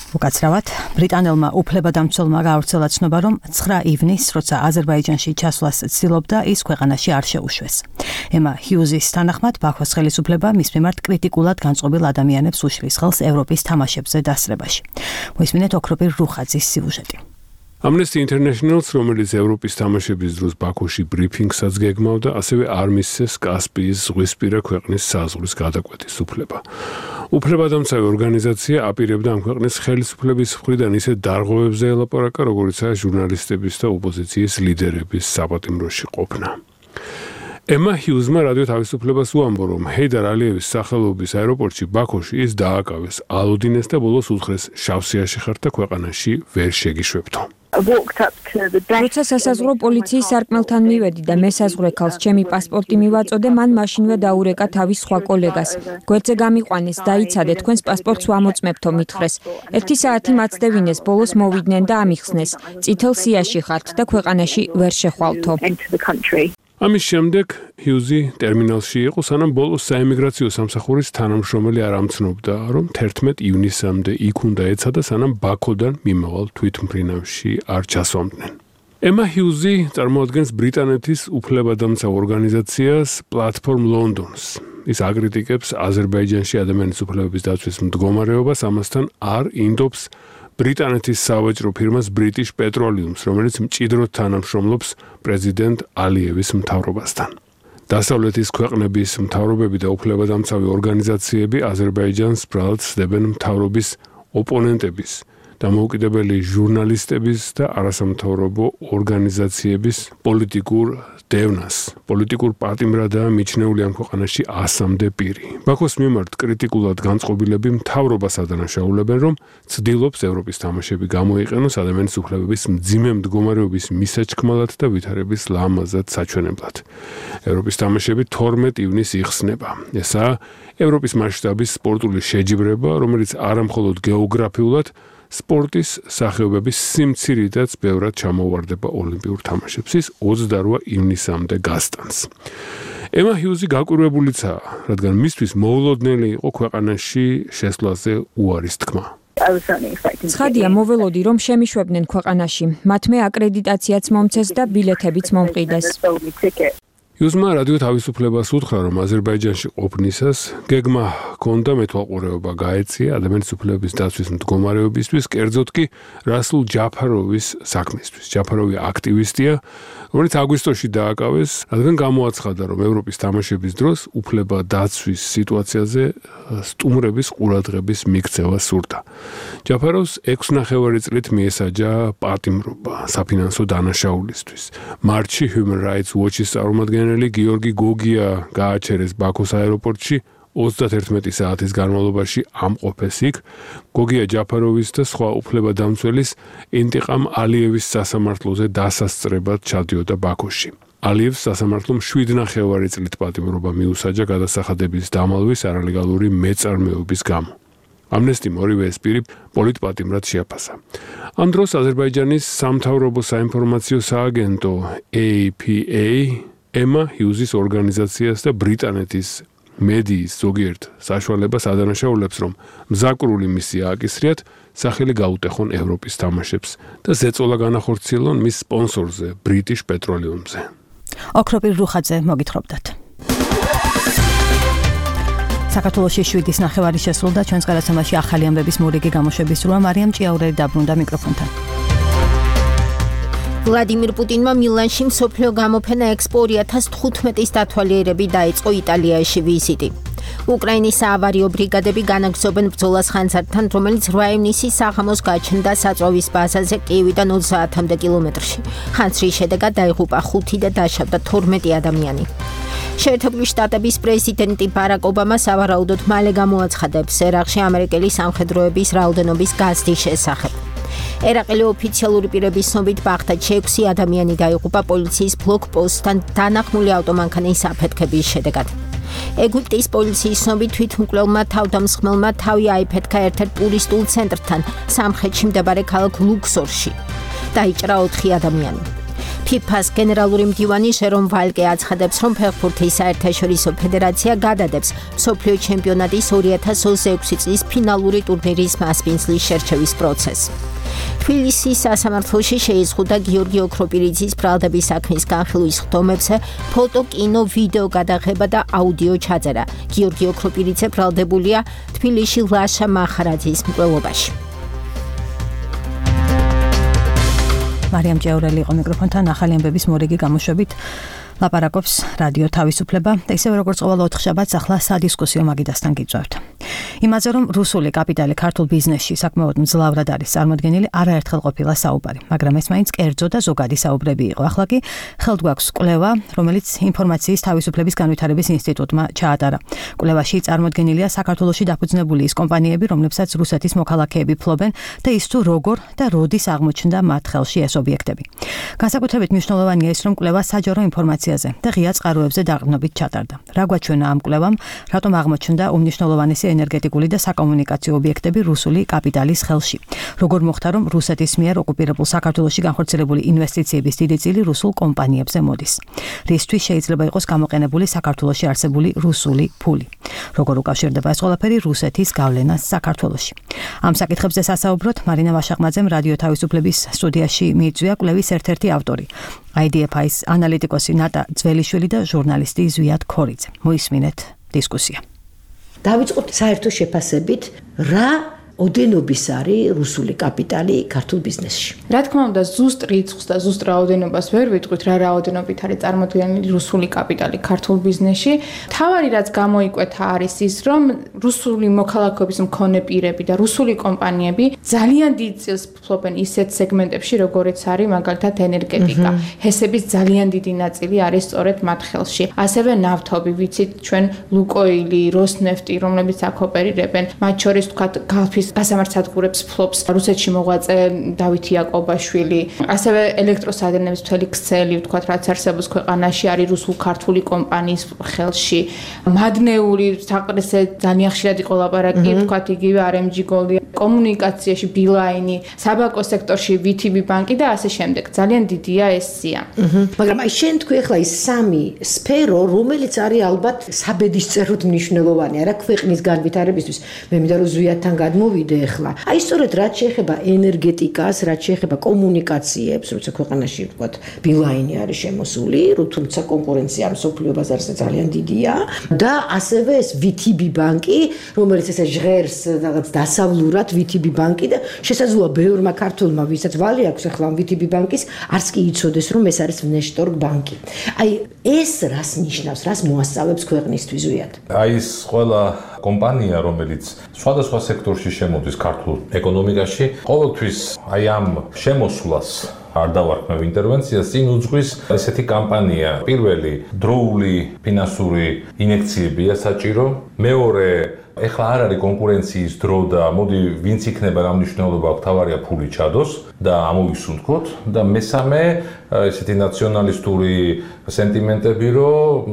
უკაცრავად ბრიტანელმა უფლებადამცველმა გაავრცელა ცნობა, რომ 9 ივნისს, როცა აზერბაიჯანში ჩასვლას ცდილობდა, ის ქვეყანაში არ შეუშვეს. ემა ჰიუზის თანახმად, ბაქოს ხელისუფლება მის მიმართ კრიტიკულად განწყობილ ადამიანებს უშლის ხელს ევროპის თამაშებზე დასწრებაში. მოისმინეთ ოქროპირ რუხაძის სიუჟეტი. Amnesty International-ს, რომელიც ევროპის თამაშების დროს ბაქოში ბრიფინგსაც გეგმავდა, ასევე არ მისცეს კასპიის ზღვისპირა ქვეყნის საზღვრის გადაკვეთის უფლება. უფლებადამცავი ორგანიზაცია აპირებდა ამ ქვეყნის ხელისუფლების მხრიდან ისეთ დარღვევებზე ელაპარაკა, როგორიცაა ჟურნალისტების და ოპოზიციის ლიდერების საპატიმროში ყოფნა. ემა ჰიუზმა რადიო თავისუფლებას უამბო, რომ ჰეიდარ ალიევის სახელობის აეროპორტში ბაქოში ის დააკავეს, ალოდინეს და ბოლოს უთხრეს შავსიაში ხართ და ქვეყანაში ვერ შეგიშვებთო. როცა სასაზღვრო პოლიციის სარკმელთან მივედი და მესაზღვრე ქალს ჩემი პასპორტი მივაწოდე, მან მაშინვე დაურეკა თავის სხვა კოლეგას. გვერდზე გამიყვანეს, დაიცადე, თქვენს პასპორტს ვამოწმებთო, მითხრეს. 1 საათი მაცდევინეს, ბოლოს მოვიდნენ და ამიხსნეს. წითელ სიაში ხართ და ქვეყანაში ვერ შეხვალთო. ამის შემდეგ ჰიუზი ტერმინალში იყო, სანამ ბოლოს საემიგრაციო სამსახურის თანამშრომელი არ ამცნობდა, რომ 11 ივნისამდე იქ უნდა ეცადა, სანამ ბაქოდან მიმავალ თვითმფრინავში არ ჩასვამდნენ. ემა ჰიუზი წარმოადგენს ბრიტანეთის უფლებადამცავ ორგანიზაციას Platform London-ს. ის აკრიტიკებს აზერბაიჯანში ადამიანის უფლებების დაცვის მდგომარეობას, ამასთან არ ინდობს ბრიტანეთის სავაჭრო ფირმას British Petroleum-ს, რომელიც მჭიდროდ თანამშრომლობს პრეზიდენტ ალიევის მთავრობასთან. დასავლეთის ქვეყნების მთავრობები და უფლებადამცავი ორგანიზაციები აზერბაიჯანს ბრალად სდებენ მთავრობის ოპონენტების, დამოუკიდებელი ჟურნალისტების და არასამთავრობო ორგანიზაციების პოლიტიკურ დევნას. პოლიტიკურ პატიმრადაა მიჩნეული ამ ქვეყანაში 100-მდე პირი. ბაქოს მიმართ კრიტიკულად განწყობილები მთავრობას ადანაშაულებენ, რომ ცდილობს ევროპის თამაშები გამოიყენოს ადამიანის უფლებების მძიმე მდგომარეობის მისაჩქმალად და ვითარების ლამაზად საჩვენებლად. ევროპის თამაშები 12 ივნისს იხსნება. ესაა ევროპის მასშტაბის სპორტული შეჯიბრება, რომელიც არამხოლოდ გეოგრაფიულად სპორტის სახეობების სიმცირითაც ბევრად ჩამოუვარდება ოლიმპიურ თამაშებს. ის 28 ივნისამდე გასტანს. ემა ჰიუზი გაკვირვებულიცაა, რადგან მისთვის მოულოდნელი იყო ქვეყანაში შესვლაზე უარის თქმა. ცხადია, მოველოდი, რომ შემიშვებდნენ ქვეყანაში. მათმე აკრედიტაციაც მომცეს და ბილეთებიც მომყიდეს. იუსმა რადიო თავისუფლებას უთხრა, რომ აზერბაიჯანში ყოფნისას გეგმა ჰქონდა მეთვალყურეობა გაეწია ადამიანის უფლებების დაცვის მდგომარეობისთვის, კერძოდ კი რასულ ჯაფაროვის საქმისთვის. ჯაფაროვი აქტივისტია, რომელიც აგვისტოში დააკავეს, რადგან გამოაცხადა, რომ ევროპის თამაშების დროს უფლება დაცვის სიტუაციაზე სტუმრების ყურადღების მიქცევა სურდა. ჯაფაროვს 6.5 წლით მიესაჯა პატიმრობა საფინანსო დანაშაულისთვის. მარტში Human Rights Watch-ის წარმომადგენელი გიორგი გოგია გააჩერეს ბაქოს აეროპორტში 31 საათის განმავლობაში ამყოფეს იქ. გოგია ჯაფაროვის და სხვა უფლებადამცველის ინტიყამ ალიევის სასამართლოზე დასასწრებად ჩადიოდა ბაქოში. ალიევს სასამართლომ 7.5 წლით პატიმრობა მიუსაჯა გადასახადების დამალვის არალეგალური მეწარმეობის გამო. ამნესტიმ ორივე ეს პირი პოლიტპატიმრად შეაფასა. ამ დროს აზერბაიჯანის სამთავრობო საინფორმაციო სააგენტო APA ემა ჰიუზის ორგანიზაციას და ბრიტანეთის მედიის ზოგიერთ საშუალებას ადანაშაულებს, რომ მზაკრული მისია აკისრიათ, სახელი გაუტეხონ ევროპის თამაშებს და ზეწოლა განახორციელონ მის სპონსორზე, British Petroleum-ზე. ოქროპირ რუხაძე მოგითხრობდათ. საქართველოში 7.5 შესრულდა ჩვენს გადაცემაში ახალი ამბების მორიგი გამოშვების დროა. მარიამ ჭიაურელი დაბრუნდა მიკროფონთან. ვლადიმირ პუტინმა მილანში მსოფლიო გამოფენა Expo 2015-ის დათვალიერები დაიწყო იტალიაში ვიზიტი. უკრაინის საავარიო ბრიგადები განაგრძობენ ბრძოლას ხანძართან, რომელიც 8 ივნისის საღამოს გაჩნდა საწვავის ბაზაზე კიევიდან 30-მდე კილომეტრში. ხანძრის შედეგად დაიღუპა 5 და დაშავდა 12 ადამიანი. შეერთებული შტატების პრეზიდენტი ბარაკ ობამა სავარაუდოდ მალე გამოაცხადებს ერაყში ამერიკელი სამხედროების რაოდენობის გაზრდის შესახებ. ერაყელი ოფიციალური პირების ცნობით ბაღდადში 6 ადამიანი დაიღუპა პოლიციის ბლოკპოსტთან დანახმული ავტომანქანის აფეთქების შედეგად. ეგვიპტის პოლიციის ცნობით თვითმკვლელმა თავდამსხმელმა თავი აიფეთქა ერთ-ერთ ტურისტულ ცენტრთან სამხრეთში მდებარე ქალაქ ლუქსორში. დაიჭრა 4 ადამიანი. FIFA-ს გენერალური მდივანი ჟერომ ვალკე აცხადებს, რომ ფეხბურთის საერთაშორისო ფედერაცია გადადებს მსოფლიო ჩემპიონატის 2026 წლის ფინალური ტურნირის მასპინძლის შერჩევის პროცესს. თბილისის სასამართლოში შეიზღუდა გიორგი ოქროპირიძის ბრალდების საქმის განხილვის ხდომებზე ფოტო, კინო, ვიდეო გადაღება და აუდიო ჩაწერა. გიორგი ოქროპირიძე ბრალდებულია თბილისში ლაშა მახარაძის მკვლელობაში. მარიამ ჭიაურელი იყო მიკროფონთან ახალი ამბების მორიგი გამოშვებით. ლაპარაკობს რადიო თავისუფლება და ისევ როგორც ყოველ ოთხშაბათს ახლა სადისკუსიო მაგიდასთან გიწევთ. იმაზე რომ რუსული კაპიტალი ქართულ ბიზნესში საკმაოდ მძლავრად არის წარმოდგენილი, არაერთხელ ყოფილა საუბარი, მაგრამ ეს მაინც კერძო და ზოგადი საუბრები იყო. ახლა კი ხელთ გვაქვს კვლევა, რომელიც ინფორმაციის თავისუფლების განვითარების ინსტიტუტმა ჩაატარა. კვლევაში წარმოდგენილია საქართველოში დაფუძნებული ის კომპანიები, რომლებსაც რუსეთის მოქალაქეები ფლობენ და ის თუ როგორ და როდის აღმოჩნდა მათ ხელში ეს ობიექტები. განსაკუთრებით მნიშვნელოვანია ის, რომ კვლევა საჯარო ინფორმაციაზე და ღია წყაროებზე დაყრდნობით ჩატარდა. რა გვაჩვენა ამ კვლევამ, რატომ აღმოჩნდა უმნიშვნელოვანესი ენერგეტიკული და საკომუნიკაციო ობიექტები რუსული კაპიტალის ხელში. როგორ მოხდა, რომ რუსეთის მიერ ოკუპირებულ საქართველოში განხორციელებული ინვესტიციების დიდი წილი რუსულ კომპანიებზე მოდის. რისთვის შეიძლება იყოს გამოყენებული საქართველოში არსებული რუსული ფული. როგორ უკავშირდება ეს ყველაფერი რუსეთის გავლენას საქართველოში. ამ საკითხებზე სასაუბროთ მარინა ვაშაყმაძემ რადიო თავისუფლების სტუდიაში მიიწვია კვლევის ერთ-ერთი ავტორი. IDFI-ის ანალიტიკოსი ნატა ძველიშვილი და ჟურნალისტი ზვიად ქორიძე. მოისმინეთ დისკუსია. დავიწყოთ საერთო შეფასებით, რა ოდენობის არის რუსული კაპიტალი ქართულ ბიზნესში. რა თქმა უნდა, ზუსტ რიცხვს და ზუსტ რაოდენობას ვერ ვიტყვით, რა რაოდენობით არის წარმოდგენილი რუსული კაპიტალი ქართულ ბიზნესში. თავარი რაც გამოიკვეთა არის ის, რომ რუსული მოქალაქეობის მქონე პირები და რუსული კომპანიები ძალიან დიდ წილს ფლობენ ისეთ სეგმენტებში, როგორიც არის მაგალითად ენერგეტიკა. ჰესების ძალიან დიდი ნაწილი არის სწორედ მათ ხელში. ასევე ნავთობი, ვიცით ჩვენ ლუკოილი, როსნეფტი, რომლებიც აქ ოპერირებენ, მათ შორის თქვათ გალფის გასამართსადგურებს ფლობს რუსეთში მოღვაწე დავით იაკობაშვილი. ასევე ელექტროსადენების მთელი ქსელი, ვთქვათ, რაც არსებობს ქვეყანაში, არის რუსულ-ქართული კომპანიის ხელში. მადნეული საკრესე ძალიან ხშირად იყო ლაპარაკი, ვთქვათ, იგივე RMG Gold კომუნიკაციაში ბილაინი, საბანკო სექტორში VTB ბანკი და ასე შემდეგ. ძალიან დიდია ეს სია. მაგრამ აი შენ თქვი ახლა ის სამი სფერო, რომელიც არის ალბათ საბედისწეროდ მნიშვნელოვანი, არა ქვეყნის განვითარებისთვის. მე მინდა რომ ზვიათთან გადმოვიდე ახლა. აი სწორედ რაც შეეხება ენერგეტიკას, რაც შეეხება კომუნიკაციებს, როცა ქვეყანაში ვთქვათ, ბილაინი არის შემოსული, თუმცა კონკურენცია მსოფლიო ბაზარზე ძალიან დიდია და ასევე ეს VTB ბანკი, რომელიც ესე ჟღერს რაღაც დასავლურად VTB ბანკი და შესაძლოა ბევრმა ქართველმა, ვისაც ვალი აქვს ახლა VTB ბანკის, არც კი იცოდეს, რომ ეს არის внешторг ბანკი. აი ეს რას ნიშნავს, რას მოასწავებს ქვეყნისთვის ზვიად? აი ეს ყველა კომპანია, რომელიც სხვადასხვა სექტორში შემოდის ქართულ ეკონომიკაში, ყოველთვის აი ამ შემოსვლას არ დავარქმევ ინტერვენციას, წინ უძღვის ესეთი კამპანია. პირველი დროული ფინანსური ინექციებია საჭირო, მეორე ეხლა არ არის კონკურენციის დრო და მოდი ვინც იქნება რა მნიშვნელობა აქვს, თავარია ფული ჩადოს და ამოვისუნთქოთ და მესამე ესეთი ნაციონალისტური სენტიმენტები, რომ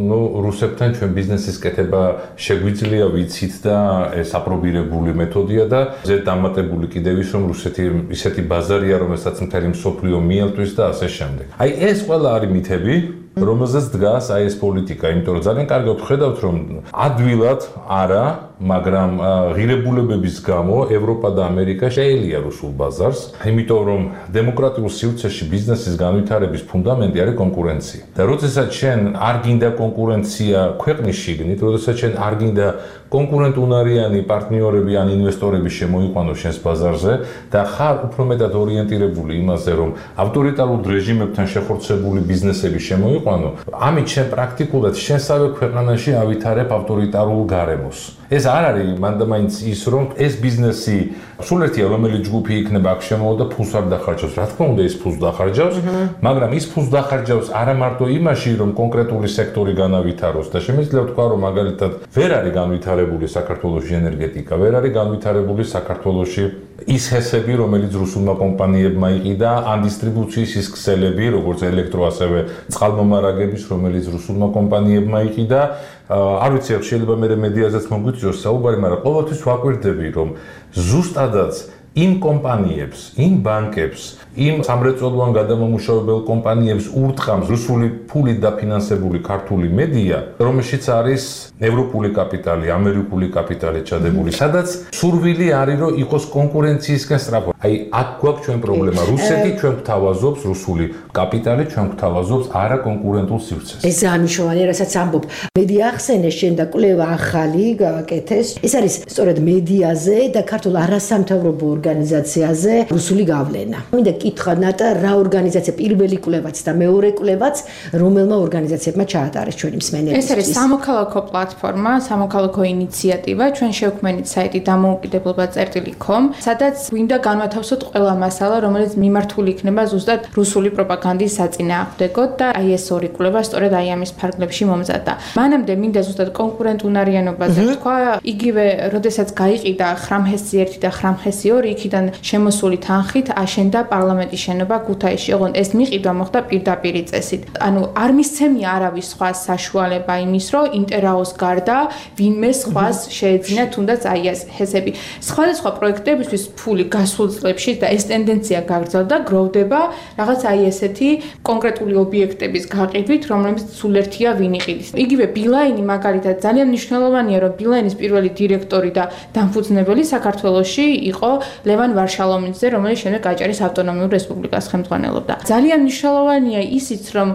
რუსებთან ჩვენ ბიზნესის კეთება შეგვიძლია, ვიცით და ეს აპრობირებული მეთოდია და ზედ დამატებული კიდევ ის, რომ რუსეთი ისეთი ბაზარია, რომელსაც მთელი მსოფლიო მიელთვის და ასე შემდეგ. აი ეს ყველა არის მითები, რომელზეც დგას აი ეს პოლიტიკა, იმიტომ რომ ძალიან კარგად ხედავთ, რომ ადვილად არა, მაგრამ ღირებულებების გამო ევროპა და ამერიკა შეელია რუსულ ბაზარს, იმიტომ რომ დემოკრატიულ სივრცეში ბიზნესის განვითარების ფუნდამენტი არის კონკურენცია. და როდესაც შენ არ გინდა კონკურენცია ქვეყნის შიგნით, როდესაც შენ არ გინდა კონკურენტუნარიანი პარტნიორები ან ინვესტორები შემოიყვანოს შენს ბაზარზე და ხარ უფრო მეტად ორიენტირებული იმაზე, რომ ავტორიტარულ რეჟიმებთან შეხორცებული ბიზნესები შემოიყვანო, ამით შენ პრაქტიკულად შენსავე ქვეყანაში ავითარებ ავტორიტარულ გარემოს. ეს არ არის მანდამაინც ის, რომ ეს ბიზნესი სულ ერთია, რომელი ჯგუფი იქნება აქ შემოვა და ფულს არ დახარჯავს. რა თქმა უნდა, ის ფულს დახარჯავს, მაგრამ ის ფულს დახარჯავს არა მარტო იმაში, რომ კონკრეტული სექტორი განავითაროს და შემიძლია ვთქვა, რომ მაგალითად ვერ არის განვითარებული საქართველოში ენერგეტიკა, ვერ არის განვითარებული საქართველოში ის ჰესები, რომელიც რუსულმა კომპანიებმა იყიდა, ან დისტრიბუციის ის ქსელები, როგორც ელექტრო, ასევე წყალმომარაგების, რომელიც რუსულმა კომპანიებმა იყიდა. არ ვიცი, შეიძლება მე მედიაზეც მოგვიწევს საუბარი, მაგრამ ყოველთვის ვაკვირდები, რომ ზუსტადაც იმ კომპანიებს, იმ ბანკებს, იმ სამრეწველოვან გადამამუშავებელ კომპანიებს ურტყამს რუსული ფულით დაფინანსებული ქართული მედია, რომელშიც არის ევროპული კაპიტალი, ამერიკული კაპიტალი ჩადებული, სადაც სურვილი არის, რომ იყოს კონკურენციისკენ სწრაფო. აი, აქ გვაქვს ჩვენ პრობლემა. რუსეთი ჩვენ გვთავაზობს, რუსული კაპიტალი ჩვენ გვთავაზობს არა კონკურენტულ სივრცეს. ეს ძალიან მნიშვნელოვანია, რასაც ამბობ. მედია ახსენე შენ და კვლევა ახალი გააკეთეს. ეს არის სწორედ მედიაზე და ქართულ არასამთავრობო ორგანიზაციაზე რუსული გავლენა. მინდა კითხვა ნატა, რა ორგანიზაცია პირველი კვლევაც და მეორე კვლევაც რომელმა ორგანიზაციებმა ჩაატარეს ჩვენი მსმენელებისთვის? ეს არის სამოქალაქო პლატფორმა, სამოქალაქო ინიციატივა, ჩვენ შევქმნით საიტი დამოუკიდებლობა.com, სადაც გვინდა განვათავსოთ ყველა მასალა, რომელიც მიმართული იქნება ზუსტად რუსული პროპაგანდის საწინააღმდეგოდ და აი ეს ორი კვლევა სწორედ აი ამის ფარგლებში მომზადდა. მანამდე მინდა ზუსტად კონკურენტუნარიანობაზე თქვა, იგივე, როდესაც გაიყიდა ხრამჰესი 1 და ხრამჰესი 2, იქიდან შემოსული თანხით აშენდა პარლამენტის შენობა ქუთაისში. ოღონდ ეს მიყიდა მოხდა პირდაპირი წესით. ანუ არ მისცემია არავის სხვა საშუალება იმის, რომ ინტერაოს გარდა ვინმე სხვას შეეძინა თუნდაც აი ეს ჰესები. სხვადასხვა პროექტებისთვის ფული გასულ წლებში და ეს ტენდენცია გაგრძელდა, გროვდება რაღაც აი ესეთი კონკრეტული ობიექტების გაყიდვით, რომლებიც სულ ერთია ვინ იყიდის. იგივე ბილაინი მაგალითად ძალიან მნიშვნელოვანია, რომ ბილაინის პირველი დირექტორი და დამფუძნებელი საქართველოში იყო ლევან ვარშალომიძე, რომელიც შემდეგ აჭარის ავტონომიურ რესპუბლიკას ხელმძღვანელობდა. ძალიან მნიშვნელოვანია ისიც, რომ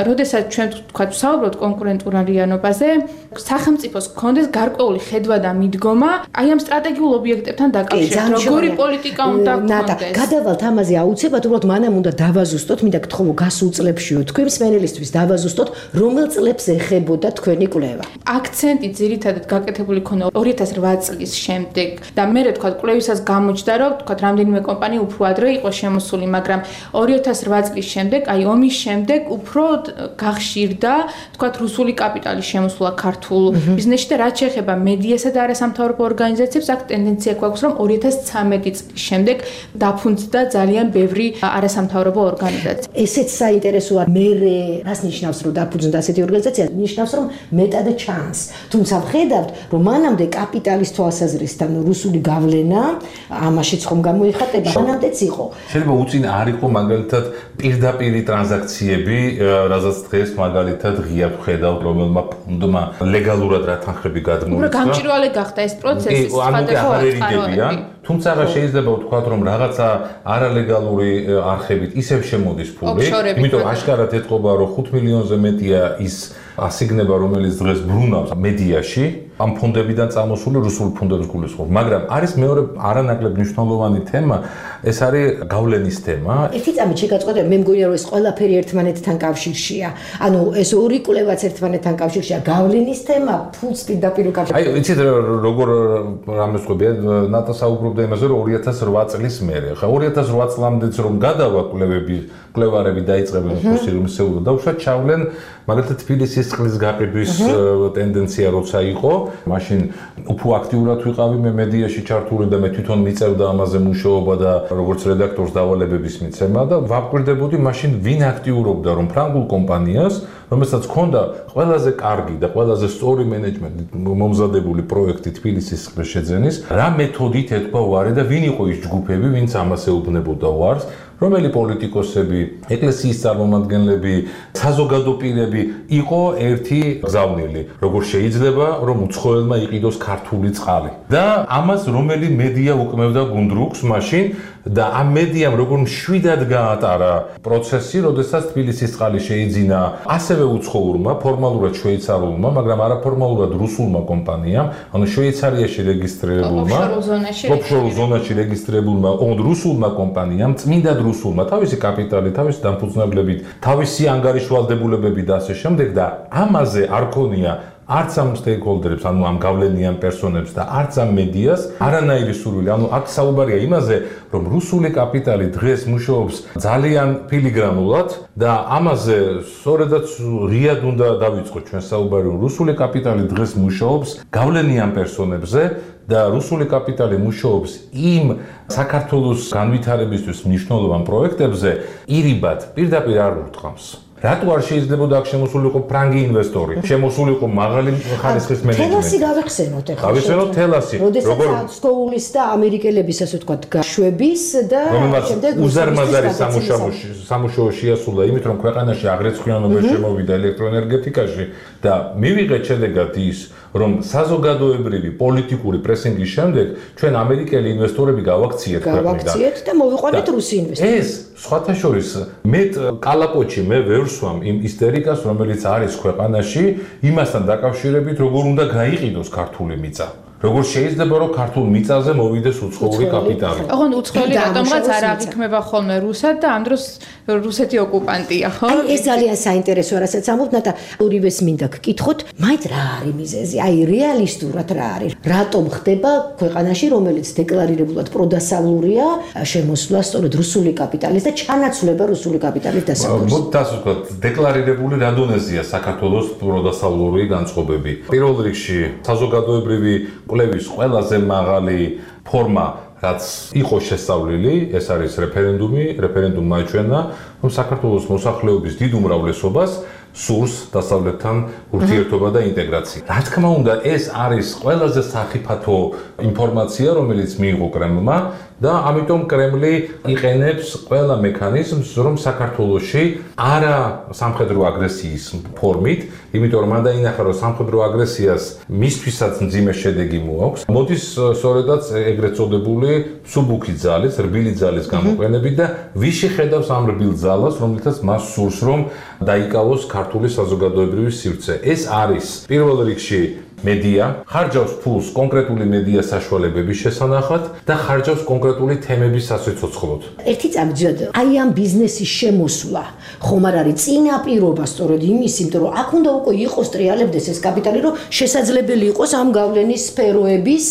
როდესაც ჩვენ თქვა ვსაუბრობთ კონკურენტუნარიანობაზე, სახელმწიფოს გქონდეს გარკვეული ხედვა და მიდგომა აი ამ სტრატეგიულ ობიექტებთან დაკავშირებით, როგორი პოლიტიკა უნდა გქონდეს. გადავალთ ამაზე აუცილებლად, უბრალოდ მანამ უნდა დავაზუსტოთ, მინდა გთხოვო გასულ წლებშიო თქვენ მსმენელისთვის დავაზუსტოთ, რომელ წლებს ეხებოდა თქვენი კვლევა. აქცენტი ძირითადად გაკეთებული ქონა 2008 წლის შემდეგ და მე თქვა კვლევისას გამოჩნდა რომ თქვა რამდენიმე კომპანია უფრო ადრე იყო შემოსული, მაგრამ 2008 წლის შემდეგ, აი ომის შემდეგ უფრო გახშირდა, თქვა რუსული კაპიტალი შემოსულა ქართულ ბიზნესში და რაც შეეხება მედიასა და არასამთავრობო ორგანიზაციებს, აქ ტენდენცია გვაქვს, რომ 2013 წლის შემდეგ დაფუძნდა ძალიან ბევრი არასამთავრობო ორგანიზაცია. ესეც საინტერესოა, მე რას ნიშნავს, რომ დაფუძნდა ასეთი ორგანიზაცია? ნიშნავს, რომ მეტად ჩანს. თუმცა ვხედავთ, რომ მანამდე კაპიტალის თვალსაზრისით, რუსული გავლენა ამაშიც ხომ გამოიხატება, მანამდეც იყო. შეიძლება უწინ არ იყო მაგალითად პირდაპირი ტრანზაქციები, რასაც დღეს მაგალითად ღია ვხედავთ, რომელმა ფონდმა ლეგალურად რა თანხები გადმოიწყო. უფრო გამჭვირვალე გახდა ეს პროცესი, სხვადასხვა ერიგებიან. თუმცა შეიძლება ვთქვათ, რომ რაღაცა არალეგალური არხებით ისევ შემოდის ფული, იმიტომ აშკარად ეთყობა, რომ 5 მილიონზე მეტია ის ასიგნება, რომელიც დღეს ბრუნავს მედიაში, ამ ფონდებიდან წამოსული რუსული ფონდების გულისხმობს. მაგრამ არის მეორე არანაკლებ მნიშვნელოვანი თემა, ეს არის გავლენის თემა. ერთი წამით შეგაწყვეტე, მე მგონია, რომ ეს ყველაფერი ერთმანეთთან კავშირშია. ანუ ეს ორი კვლევაც ერთმანეთთან კავშირშია, გავლენის თემა, ფულს პირდაპირ უკავშირდება. აი, იცით როგორ რამეს ყვებია, ნატა საუბრობდა იმაზე, რომ 2008 წლის მერე. ხა 2008 წლამდეც რომ გადავა კვლევარები დაიწყებენ ფოსილურსეულო და უშუალოდ ჩავლენ მაგალითად თბილისის წყლის გაყიდვის ტენდენცია როცა იყო, მაშინ უფრო აქტიურად ვიყავი მე მედიაში ჩართული და მე თვითონ მიწევდა ამაზე მუშაობა და როგორც რედაქტორს დავალებების მიცემა და ვაკვირდებოდი მაშინ ვინ აქტიურობდა რომ ფრანგულ კომპანიას, რომელსაც ჰქონდა ყველაზე კარგი და ყველაზე სწორი მენეჯმენტით მომზადებული პროექტი თბილისის წყლის შეძენის, რა მეთოდით ეთქვა უარი და ვინ იყო ის ჯგუფები, ვინც ამას ეუბნებოდა უარს, რომელი პოლიტიკოსები, ეკლესიის წარმომადგენლები, საზოგადო პირები იყო ერთი გზავნილი, როგორ შეიძლება რომ უცხოელმა იყიდოს ქართული წყალი. და ამას რომელი მედია უკმევდა გუნდრუკს მაშინ და ამ მედიამ როგორ მშვიდად გაატარა პროცესი, როდესაც თბილისის წყალი შეიძინა ასევე უცხოურმა, ფორმალურად შვეიცარულმა, მაგრამ არაფორმალურად რუსულმა კომპანიამ, ანუ შვეიცარიაში რეგისტრირებულმა, ოფშორ ზონაში რეგისტრირებულმა რუსულმა კომპანიამ, წმინდად რუსულმა, თავისი კაპიტალი, თავისი დამფუძნებლებით, თავისი ანგარიშვალდებულებები და ასე შემდეგ და ამაზე არ ქონია არც ამ სტეიკჰოლდერებს, ანუ ამ გავლენიან პერსონებს და არც ამ მედიას არანაირი სურვილი. ანუ აქ საუბარია იმაზე, რომ რუსული კაპიტალი დღეს მუშაობს ძალიან ფილიგრანულად და ამაზე სწორედაც ღიად უნდა დავიწყოთ ჩვენ საუბარი, რომ რუსული კაპიტალი დღეს მუშაობს გავლენიან პერსონებზე და რუსული კაპიტალი მუშაობს იმ საქართველოს განვითარებისთვის მნიშვნელოვან პროექტებზე ირიბად პირდაპირ არ ურტყამს. რატო არ შეიძლება აქ შემოსულიყო ფრანგი ინვესტორი, შემოსულიყო მაღალი ხარისხის მენეჯმენტი? თელასი გავიხსენოთ ახლა. გავიხსენოთ თელასი. როგორ სკოულის და ამერიკელების ასე ვთქვათ გაშვების და შემდეგ უზარმაზარი სამუშაო შეასრულა იმით, რომ ქვეყანაში აგრეთვიანობა შემოვიდა ელექტროენერგეტიკაში და მივიღეთ შედეგად ის, რომ საზოგადოებრივი პოლიტიკური პრესინგის შემდეგ ჩვენ ამერიკელი ინვესტორები გავაქციეთ ქვეყნიდან. გავაქციეთ და მოვიყვანეთ რუსი ინვესტორები. ეს სხვათა შორის მეტ კალაპოჩი მე ვერ სვამ იმ ისტერიკას, რომელიც არის ქვეყანაში, იმასთან დაკავშირებით, როგორ უნდა გაიყიდოს ქართული მიწა. როგორ შეიძლება რომ ქართულ მიწაზე მოვიდეს უცხოური კაპიტალი. ოღონდ უცხოელი რატომღაც არ აღიქმება ხოლმე რუსად და ამ დროს რუსეთი ოკუპანტია, ხო? აი ეს ძალიან საინტერესოა, რასაც ამბობთ, ნატა ორივეს მინდა გკითხოთ, მაინც რა არის მიზეზი? აი რეალისტურად რა არის? რატომ ხდება ქვეყანაში, რომელიც დეკლარირებულად პროდასავლურია, შემოსვლა სწორედ რუსული კაპიტალის და ჩანაცვლება რუსული კაპიტალის დასავლურის? მოდით ასე ვთქვათ, დეკლარირებული რა დონეზეა საქართველოს პროდასავლური განწყობები. პირველ რიგში საზოგადოებრივი კვლევის ყველაზე მაღალი ფორმა, რაც იყო შესწავლილი, ეს არის რეფერენდუმი. რეფერენდუმმა აჩვენა, რომ საქართველოს მოსახლეობის დიდ უმრავლესობას სურს დასავლეთთან ურთიერთობა და ინტეგრაცია. რა თქმა უნდა, ეს არის ყველაზე სახიფათო ინფორმაცია, რომელიც მიიღო კრემლმა და ამიტომ კრემლი იყენებს ყველა მექანიზმს, რომ საქართველოში არა სამხედრო აგრესიის ფორმით, იმიტომ რომ მან დაინახა, რომ სამხედრო აგრესიას მისთვისაც მძიმე შედეგი მოაქვს. მოდის სწორედაც ეგრეთ წოდებული სუბუქი ძალის, რბილი ძალის გამოყენებით და ვიში ხედავს ამ რბილ ძალას, რომელთაც მას სურს, რომ დაიკავოს ქართული საზოგადოებრივი სივრცე. ეს არის პირველ რიგში მედია, ხარჯავს ფულს კონკრეტული მედია საშუალებების შესანახად და ხარჯავს კონკრეტული თემების სასიცოცხლოდ. ერთი წამძვად აი ამ ბიზნესის შემოსვლა ხომ არ არის წინაპირობა სწორედ იმის, იმიტომ რომ აქ უნდა უკვე იყოს ტრიალებდეს ეს კაპიტალი, რომ შესაძლებელი იყოს ამ გავლენის სფეროების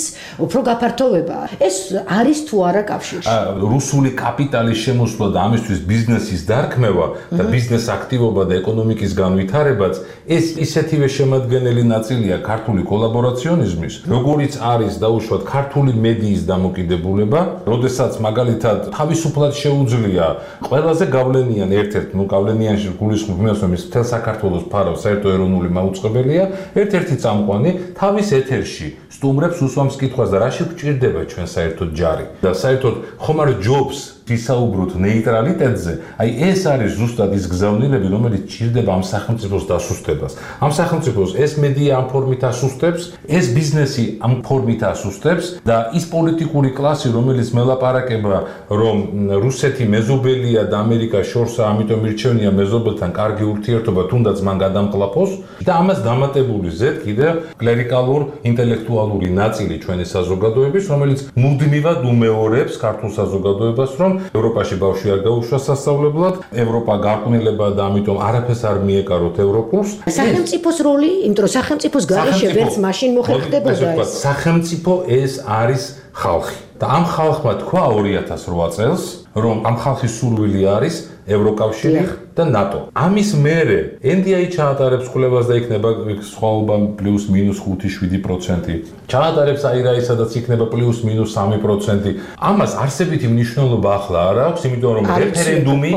უფრო გაფართოვება. ეს არის თუ არა კავშირში? რუსული კაპიტალის შემოსვლა და ამისთვის ბიზნესის დარქმევა და ბიზნეს აქტივობა და ეკონომიკის განვითარებაც ეს ისეთივე შემადგენელი ნაწილია ქართული კოლაბორაციონიზმის, როგორიც არის დაუშვათ ქართული მედიის დამოკიდებულება, როდესაც მაგალითად თავისუფლად შეუძლია ყველაზე გავლენიან ერთ-ერთ, გავლენიანში გულისხმობ იმას, რომ ის მთელ საქართველოს ფარავს საერთო ეროვნული მაუწყებელია, ერთ-ერთი წამყვანი თავის ეთერში სტუმრებს უსვამს კითხვას და რაში გვჭირდება ჩვენ საერთოდ ჯარი და საერთოდ ხომ არ ჯობს ვისაუბროთ ნეიტრალიტეტზე, აი ეს არის ზუსტად ის გზავნილები, რომელიც ჭირდება ამ სახელმწიფოს დასუსტებას. ამ სახელმწიფოს ეს მედია ამ ფორმით ასუსტებს, ეს ბიზნესი ამ ფორმით ასუსტებს და ის პოლიტიკური კლასი, რომელიც მელაპარაკება, რომ რუსეთი მეზობელია და ამერიკა შორსა, ამიტომ ირჩევნია მეზობელთან კარგი ურთიერთობა, თუნდაც მან გადამყლაფოს და ამას დამატებული ზედ კიდე კლერიკალურ ინტელექტუალური ნაწილი ჩვენი საზოგადოების, რომელიც მუდმივად უმეორებს ქართულ საზოგადოებას, რომ ევროპაში ბავშვი არ გაუშვა სასწავლებლად, ევროპა გარყვნილება და ამიტომ არაფერს არ მიეკაროთ ევროპულს. სახელმწიფოს როლი, იმიტომ რომ სახელმწიფოს გარეშე ვერც მაშინ მოხერხდებოდა ეს. სახელმწიფო ეს არის ხალხი. და ამ ხალხმა თქვა 2008 წელს, რომ ამ ხალხის სურვილი არის ევროკავშირი და ნატო. ამის მერე NDI ჩაატარებს კვლევას და იქნება სხვაობა +-5-7%. ჩაატარებს აირაი, სადაც იქნება +-3%. ამას არსებითი მნიშვნელობა ახლა არ აქვს, იმიტომ რომ რეფერენდუმი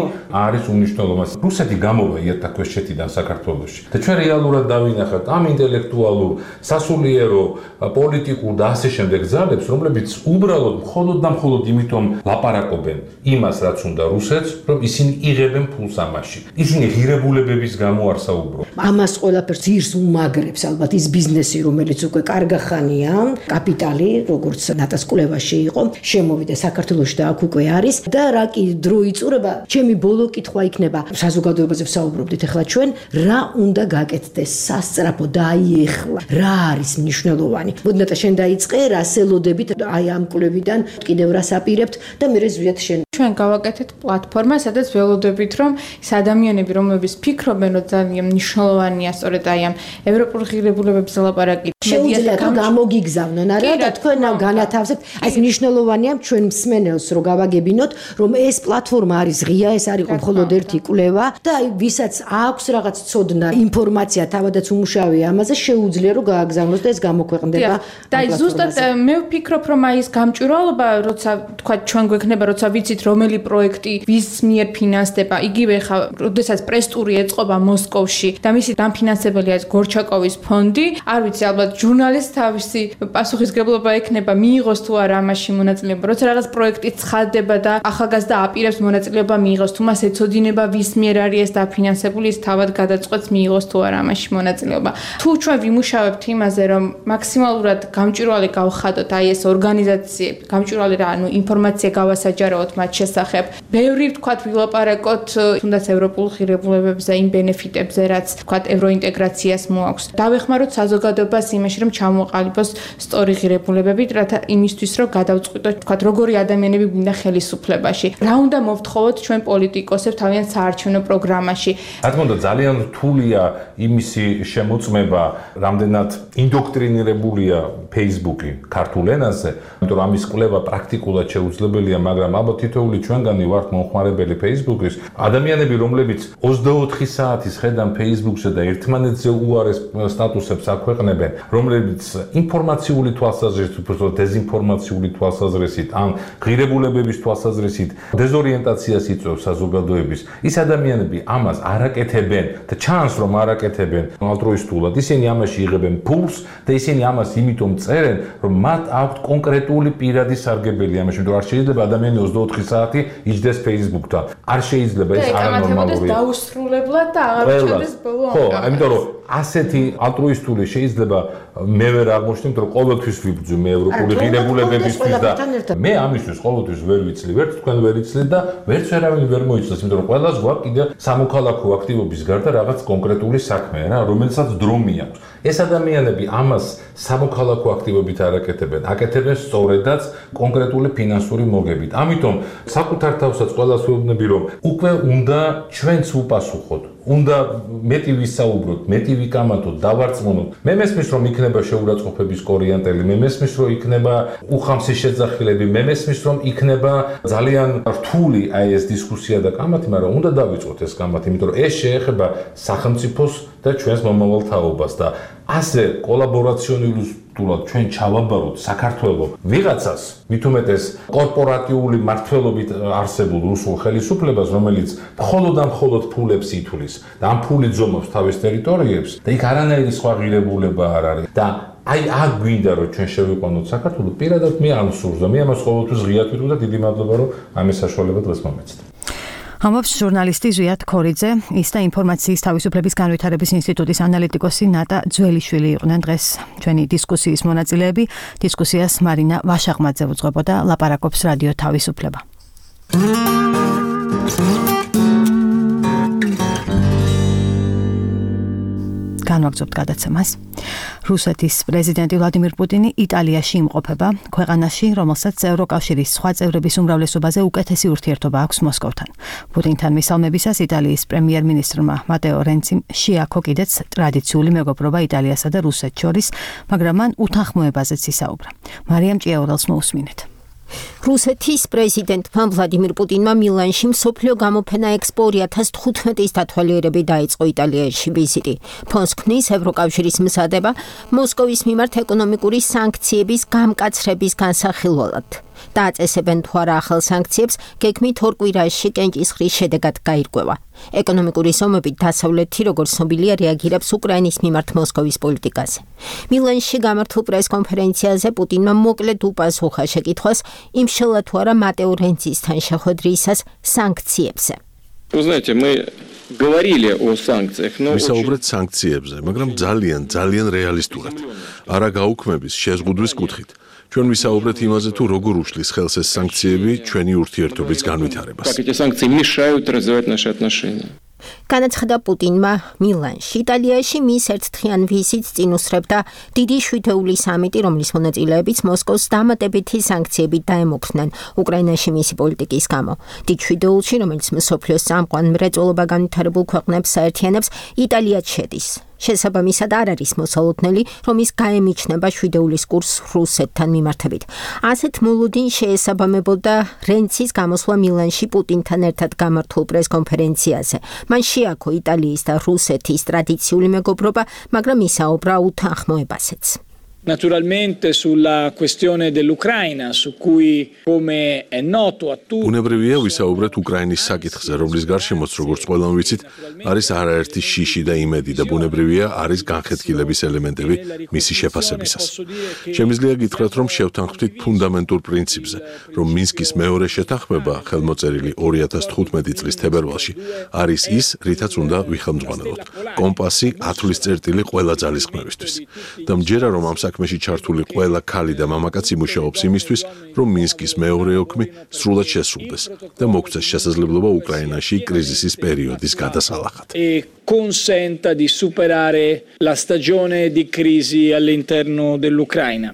არის უმნიშვნელოვანესი. რუსეთი გამოვა იერთაქვეშეთიდან საქართველოში. და ჩვენ რეალურად დავინახავთ ამ ინტელექტუალურ, სასულიერო, პოლიტიკურ და ასე შემდეგ ძალებს, რომლებიც უბრალოდ მხოლოდ და მხოლოდ იმიტომ ლაპარაკობენ იმას, რაც უნდა რუსეთს, რომ ისინი იღებენ ფულს ამაში. ისინი ღირებულებების გამო არ საუბრობენ. ამას ყველაფერს ძირს უმაგრებს ალბათ ის ბიზნესი, რომელიც უკვე კარგახანია, კაპიტალი, როგორც ნატას კვლევაში იყო, შემოვიდა საქართველოში და აქ უკვე არის და რა კი დრო იწურება, ჩემი ბოლო კითხვა იქნება, საზოგადოებაზე ვსაუბრობდით ახლა ჩვენ, რა უნდა გაკეთდეს სასწრაფო და აი ეხლა, რა არის მნიშვნელოვანი. მოდნატა შენ დაიწყე, რას ელოდებით აი ამ კვლევიდან, კიდევ რას აპირებთ და მე ზვიად შენ ჩვენ გავაკეთეთ პლატფორმა, სადაც ველოდებით, რომ ეს ადამიანები, რომლებიც ფიქრობენ, რომ ძალიან მნიშვნელოვანია სწორედ აი ამ ევროპულ ღირებულებებზე ლაპარაკი, შეუძლიათ რომ გამოგიგზავნონ, არა და თქვენ განათავსებთ, აი ეს მნიშვნელოვანია ჩვენ მსმენელს რომ გავაგებინოთ, რომ ეს პლატფორმა არის ღია, ეს არ იყო მხოლოდ ერთი კვლევა და აი ვისაც აქვს რაღაც ცოდნა, ინფორმაცია თავადაც უმუშავია ამაზე, შეუძლია რომ გააგზავნოს და ეს გამოქვეყნდება. და აი ზუსტად მე ვფიქრობ, რომ აი ეს გამჭვირვალობა, როცა თქვა ჩვენ გვექნება, როცა ვიცით რომელი პროექტი ვის მიერ ფინანსდება, იგივე ხა, როდესაც პრესტური ეწყობა მოსკოვში და მისი დამფინანსებელია ეს გორჩაკოვის ფონდი, არ ვიცი, ალბათ ჟურნალისტ თავისი პასუხისგებლობა ექნება, მიიღოს თუ არა ამაში მონაწილეობა. როცა რაღაც პროექტი ცხადდება და ახალგაზრდა აპირებს მონაწილეობა მიიღოს, თუ მას ეცოდინება ვის მიერ არის ეს დაფინანსებული, ის თავად გადაწყვეტს მიიღოს თუ არა ამაში მონაწილეობა. თუ ჩვენ ვიმუშავებთ იმაზე, რომ მაქსიმალურად გამჭვირვალე გავხადოთ აი ეს ორგანიზაციები, გამჭვირვალე რა, ანუ ინფორმაცია გავასაჯაროოთ მათ შესახებ. ბევრი ვთქვათ ვილაპარაკოთ თუნდაც ევროპულ ღირებულებებზე, იმ ბენეფიტებზე, რაც ვთქვათ ევროინტეგრაციას მოაქვს. დავეხმაროთ საზოგადოებას იმაში, რომ ჩამოყალიბოს სწორი ღირებულებები, რათა იმისთვის, რომ გადავწყვიტოთ, ვთქვათ, როგორი ადამიანები გვინდა ხელისუფლებაში. რა უნდა მოვთხოვოთ ჩვენ პოლიტიკოსებს თავიანთ საარჩევნო პროგრამაში. რა თქმა უნდა, ძალიან რთულია იმისი შემოწმება, რამდენად ინდოქტრინირებულია Facebook-ი ქართულ ენაზე, იმიტომ რომ ამის კვლევა პრაქტიკულად შეუძლებელია, მაგრამ ალბათ თითოეული ჩვენგანი ვართ მომხმარებელი Facebook-ის. ადამიანები, რომლებიც 24 საათის ხედან Facebook-ზე და ერთმანეთზე უარეს სტატუსებს აქვეყნებენ, რომლებიც ინფორმაციული თვალსაზრისით, უბრალოდ დეზინფორმაციული თვალსაზრისით, ან ღირებულებების თვალსაზრისით დეზორიენტაციას იწვევს საზოგადოების. ის ადამიანები ამას არ აკეთებენ და ჩანს, რომ არ აკეთებენ ალტრუისტულად. ისინი ამაში იღებენ ფულს და ისინი ამას იმიტომ წერენ, რომ მათ აქვთ კონკრეტული პირადი სარგებელი ამაში, იმიტომ რომ არ შეიძლება ადამიანი 24 საათი იჯდეს Facebook-თან. არ შეიძლება ეს არანორმალურია. დაუსრულებლად და აღარ ჩადეს ბოლო ამბავი. ხო, იმიტომ რომ ასეთი ალტრუისტული შეიძლება მე ვერ აღმოჩნდით, რომ ყოველთვის ვიბრძვი მე ევროპული ღირებულებებისთვის და მე ამისთვის ყოველთვის ვერ ვიცლი, ვერც თქვენ ვერ იცლით და ვერც ვერავინ ვერ მოიცავს, იმიტომ რომ ყველას გვაქვს კიდე სამოქალაქო აქტივობის გარდა რაღაც კონკრეტული საქმე რა, რომელსაც დრო მიაქვს. ეს ადამიანები ამას სამოქალაქო აქტივობით არ აკეთებენ, აკეთებენ სწორედაც კონკრეტული ფინანსური მოგებით. ამიტომ საკუთარ თავსაც ყველას ვეუბნები, რომ უკვე უნდა ჩვენც უპასუხოთ. უნდა მეტი ვისაუბროთ, მეტი ვიკამათოთ, დავარწმუნოთ. მე მესმის რომ იქნება შეურაცხყოფების კორიანტელი, მე მესმის რომ იქნება უხამსი შეძახილები, მე მესმის რომ იქნება ძალიან რთული აი ეს დისკუსია და კამათი, მაგრამ უნდა დავიწყოთ ეს კამათი, იმიტომ რომ ეს შეეხება სახელმწიფოს და ჩვენს მომავალ თაობას და ასე კოლაბორაციონულად ჩვენ ჩავაბაროთ საქართველოს ვიღაცას, მით უმეტეს კორპორატიული მართლობით არსებულ რუსულ ხელისუფლებას, რომელიც მხოლოდ და მხოლოდ ფულებს ითვლის და ამ ფულით ზომავს თავის ტერიტორიებს და იქ არანაირი სხვა ღირებულება არ არის და აი აქ გვინდა რომ ჩვენ შევიყვანოთ საქართველოს, პირადად მე ამ სურს და მე ამას ყოველთვის ღიად ვიტყვი და დიდი მადლობა რომ ამის საშუალება დღეს მომეცით. ამბობს ჟურნალისტი ზვიად ქორიძე, ის და ინფორმაციის თავისუფლების განვითარების ინსტიტუტის ანალიტიკოსი ნატა ძველიშვილი იყვნენ დღეს ჩვენი დისკუსიის მონაწილეები. დისკუსიას მარინა ვაშაღმაძე უძღვებოდა, ლაპარაკობს რადიო თავისუფლება. განვაგრძობთ გადაცემას. რუსეთის პრეზიდენტი ვლადიმირ პუტინი იტალიაში იმყოფება, ქვეყანაში, რომელსაც ევროკავშირის სხვა წევრების უმრავლესობაზე უკეთესი ურთიერთობა აქვს მოსკოვთან. პუტინთან მისალმებისას იტალიის პრემიერ-მინისტრმა მატეო რენციმ შეაქო კიდეც ტრადიციული მეგობრობა იტალიასა და რუსეთს შორის, მაგრამ მან უთანხმოებაზეც ისაუბრა. მარიამ ჭიაურელს მოусმინეთ. რუსეთის პრეზიდენტმა ვლადიმირ პუტინმა მილანში მსოფლიო გამოფენა ექსპო 2015-ის დათვალიერებით დაიწყო იტალიაში ვიზიტი. ფონს ქმნის ევროკავშირის მზადება მოსკოვის მიმართ ეკონომიკური სანქციების გამკაცრების განსახილველად. დააწესებენ თუ არა ახალ სანქციებს, გეგმით 2 კვირაში კენჭისყრის შედეგად გაირკვევა. ეკონომიკური ზომებით დასავლეთი, როგორც ცნობილია, რეაგირებს უკრაინის მიმართ მოსკოვის პოლიტიკაზე. მილანში გამართულ პრესკონფერენციაზე პუტინმა მოკლედ უპასუხა შეკითხვას, იმშელა თუ არა მატეო რენცისთან შეხვედრისას სანქციებზე. ვისაუბრეთ სანქციებზე, მაგრამ ძალიან რეალისტურად. არა გაუქმების, შეზღუდვის კუთხით. ჩვენ ვისაუბრეთ იმაზე, თუ როგორ უშლის ხელს ეს სანქციები ჩვენი ურთიერთობის განვითარებას. განაცხადა პუტინმა მილანში. იტალიაში მის ერთდღიან ვიზიტს წინ უსწრებდა დიდი შვიდეული სამიტი, რომლის მონაწილეებიც მოსკოვს დამატებითი სანქციებით დაემუქრნენ უკრაინაში მისი პოლიტიკის გამო. დიდ შვიდეულში, რომელიც მსოფლიოს წამყვან მრეწველობა განვითარებულ ქვეყნებს საერთიანებს, იტალიაც შედის. შესაბამისად არ არის მოსალოდნელი, რომ ის გაემიჩნება შვიდეულის კურსს რუსეთთან მიმართებით. ასეთ მოლოდინს შეესაბამებოდა რენცის გამოსვლა მილანში პუტინთან ერთად გამართულ პრესკონფერენციაზე. მან შეაქო იტალიის და რუსეთის ტრადიციული მეგობრობა, მაგრამ ისაუბრა უთანხმოებაზეც. Naturalmente sulla questione dell'Ucraina, su cui come è noto a tutti. უნებრივია ვისაუბრეთ უკრაინის საკითხზე, რომლის გარშემოც როგორც ყველამ ვიცით, არის არაერთი შიში და იმედი და ბუნებრივია არის განხეთქილების ელემენტები მისი შეფასებისას. შემიძლია გითხრათ, რომ შევთანხმდით ფუნდამენტურ პრინციპზე, რომ მინსკის მეორე შეთანხმება, ხელმოწერილი 2015 წლის თებერვალში, არის ის, რითაც უნდა ვიხელმძღვანელოთ. კომპასი, ათვლის წერტილი ყველა ძალისხმევისთვის. და მჯერა რომ ამ საქმეში ჩართული ყველა ქალი და მამაკაცი მუშაობს იმისთვის, რომ მინსკის მეორე ოქმი სრულად შესრულდეს და მოგცეს შესაძლებლობა უკრაინაში კრიზისის პერიოდის გადასალახად. Consenta di superare la stagione di crisi all'interno dell'Ucraina.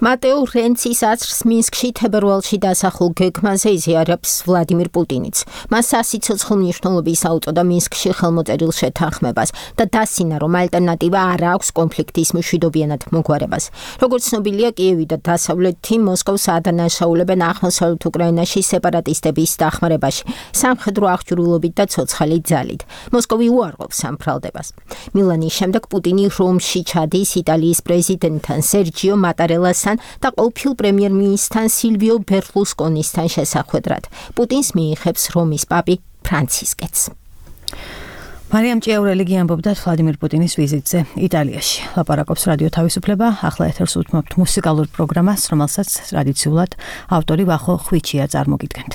მატეო რენცის აზრს მინსკში თებერვალში დასახულ გეგმაზე იზიარებს ვლადიმირ პუტინიც. მას სასიცოცხლო მნიშვნელობის აუწოდა მინსკში ხელმოწერილ შეთანხმებას და დასინა, რომ ალტერნატივა არ აქვს კონფლიქტის მშვიდობიანად მოგვარებას. როგორც ცნობილია, კიევი და დასავლეთი მოსკოვს ადანაშაულებენ აღმოსავლეთ უკრაინაში სეპარატისტების დახმარებაში, სამხედრო აღჭურვილობით და ცოცხალი ძალით. მოსკოვი უარყოფს ამ ბრალდებას. მილანის შემდეგ პუტინი რომში ჩადის იტალიის პრეზიდენტთან სერჯიო მატარელასთან და ყოფილ პრემიერ-მინისტრთან სილვიო ბერლუსკონისთან შესახვედრად. პუტინს მიიღებს რომის პაპი ფრანცისკეც. მარიამ ჭიაურელი გიამბობდა ვლადიმირ პუტინის ვიზიტზე იტალიაში. ლაპარაკობს რადიო თავისუფლება, ახლა ეთერს უთმობთ მუსიკალურ პროგრამას, რომელსაც ტრადიციულად ავტორი ვახო ხვიჩია წარმოგიდგენთ.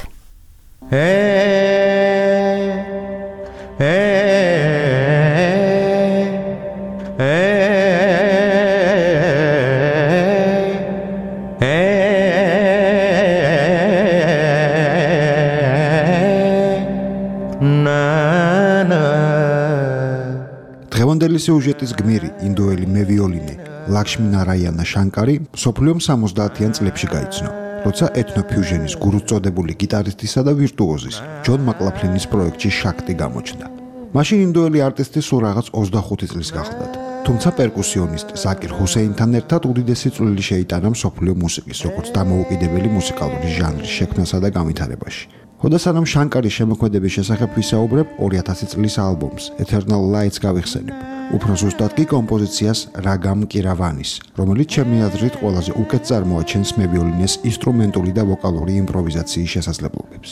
მთელი სიუჟეტის გმირი ინდოელი მევიოლინე ლაქშმი ნარაიანა შანკარი მსოფლიომ 70-იან წლებში გაიცნო, როცა ეთნოფიუჟენის გურუს წოდებული გიტარისტისა და ვირტუოზის ჯონ მაკლაფლინის პროექტში შაქტი გამოჩნდა. მაშინ ინდოელი არტისტი სულ რაღაც 25 წლის გახლდათ. თუმცა პერკუსიონისტ ზაკირ ჰუსეინთან ერთად უდიდესი წვლილი შეიტანა მსოფლიო მუსიკის, როგორც დამოუკიდებელი მუსიკალური ჟანრის შექმნასა და განვითარებაში. ხოდა სანამ შანკარის შემოქმედების შესახებ ვისაუბრებ, 2000 წლის ალბომს Eternal Lights გავიხსენებ. უფრო ზუსტად კი კომპოზიციას რაგამ კირავანის, რომელიც ჩემი აზრით ყველაზე უკეთ წარმოაჩენს მევიოლინეს ინსტრუმენტული და ვოკალური იმპროვიზაციის შესაძლებლობებს.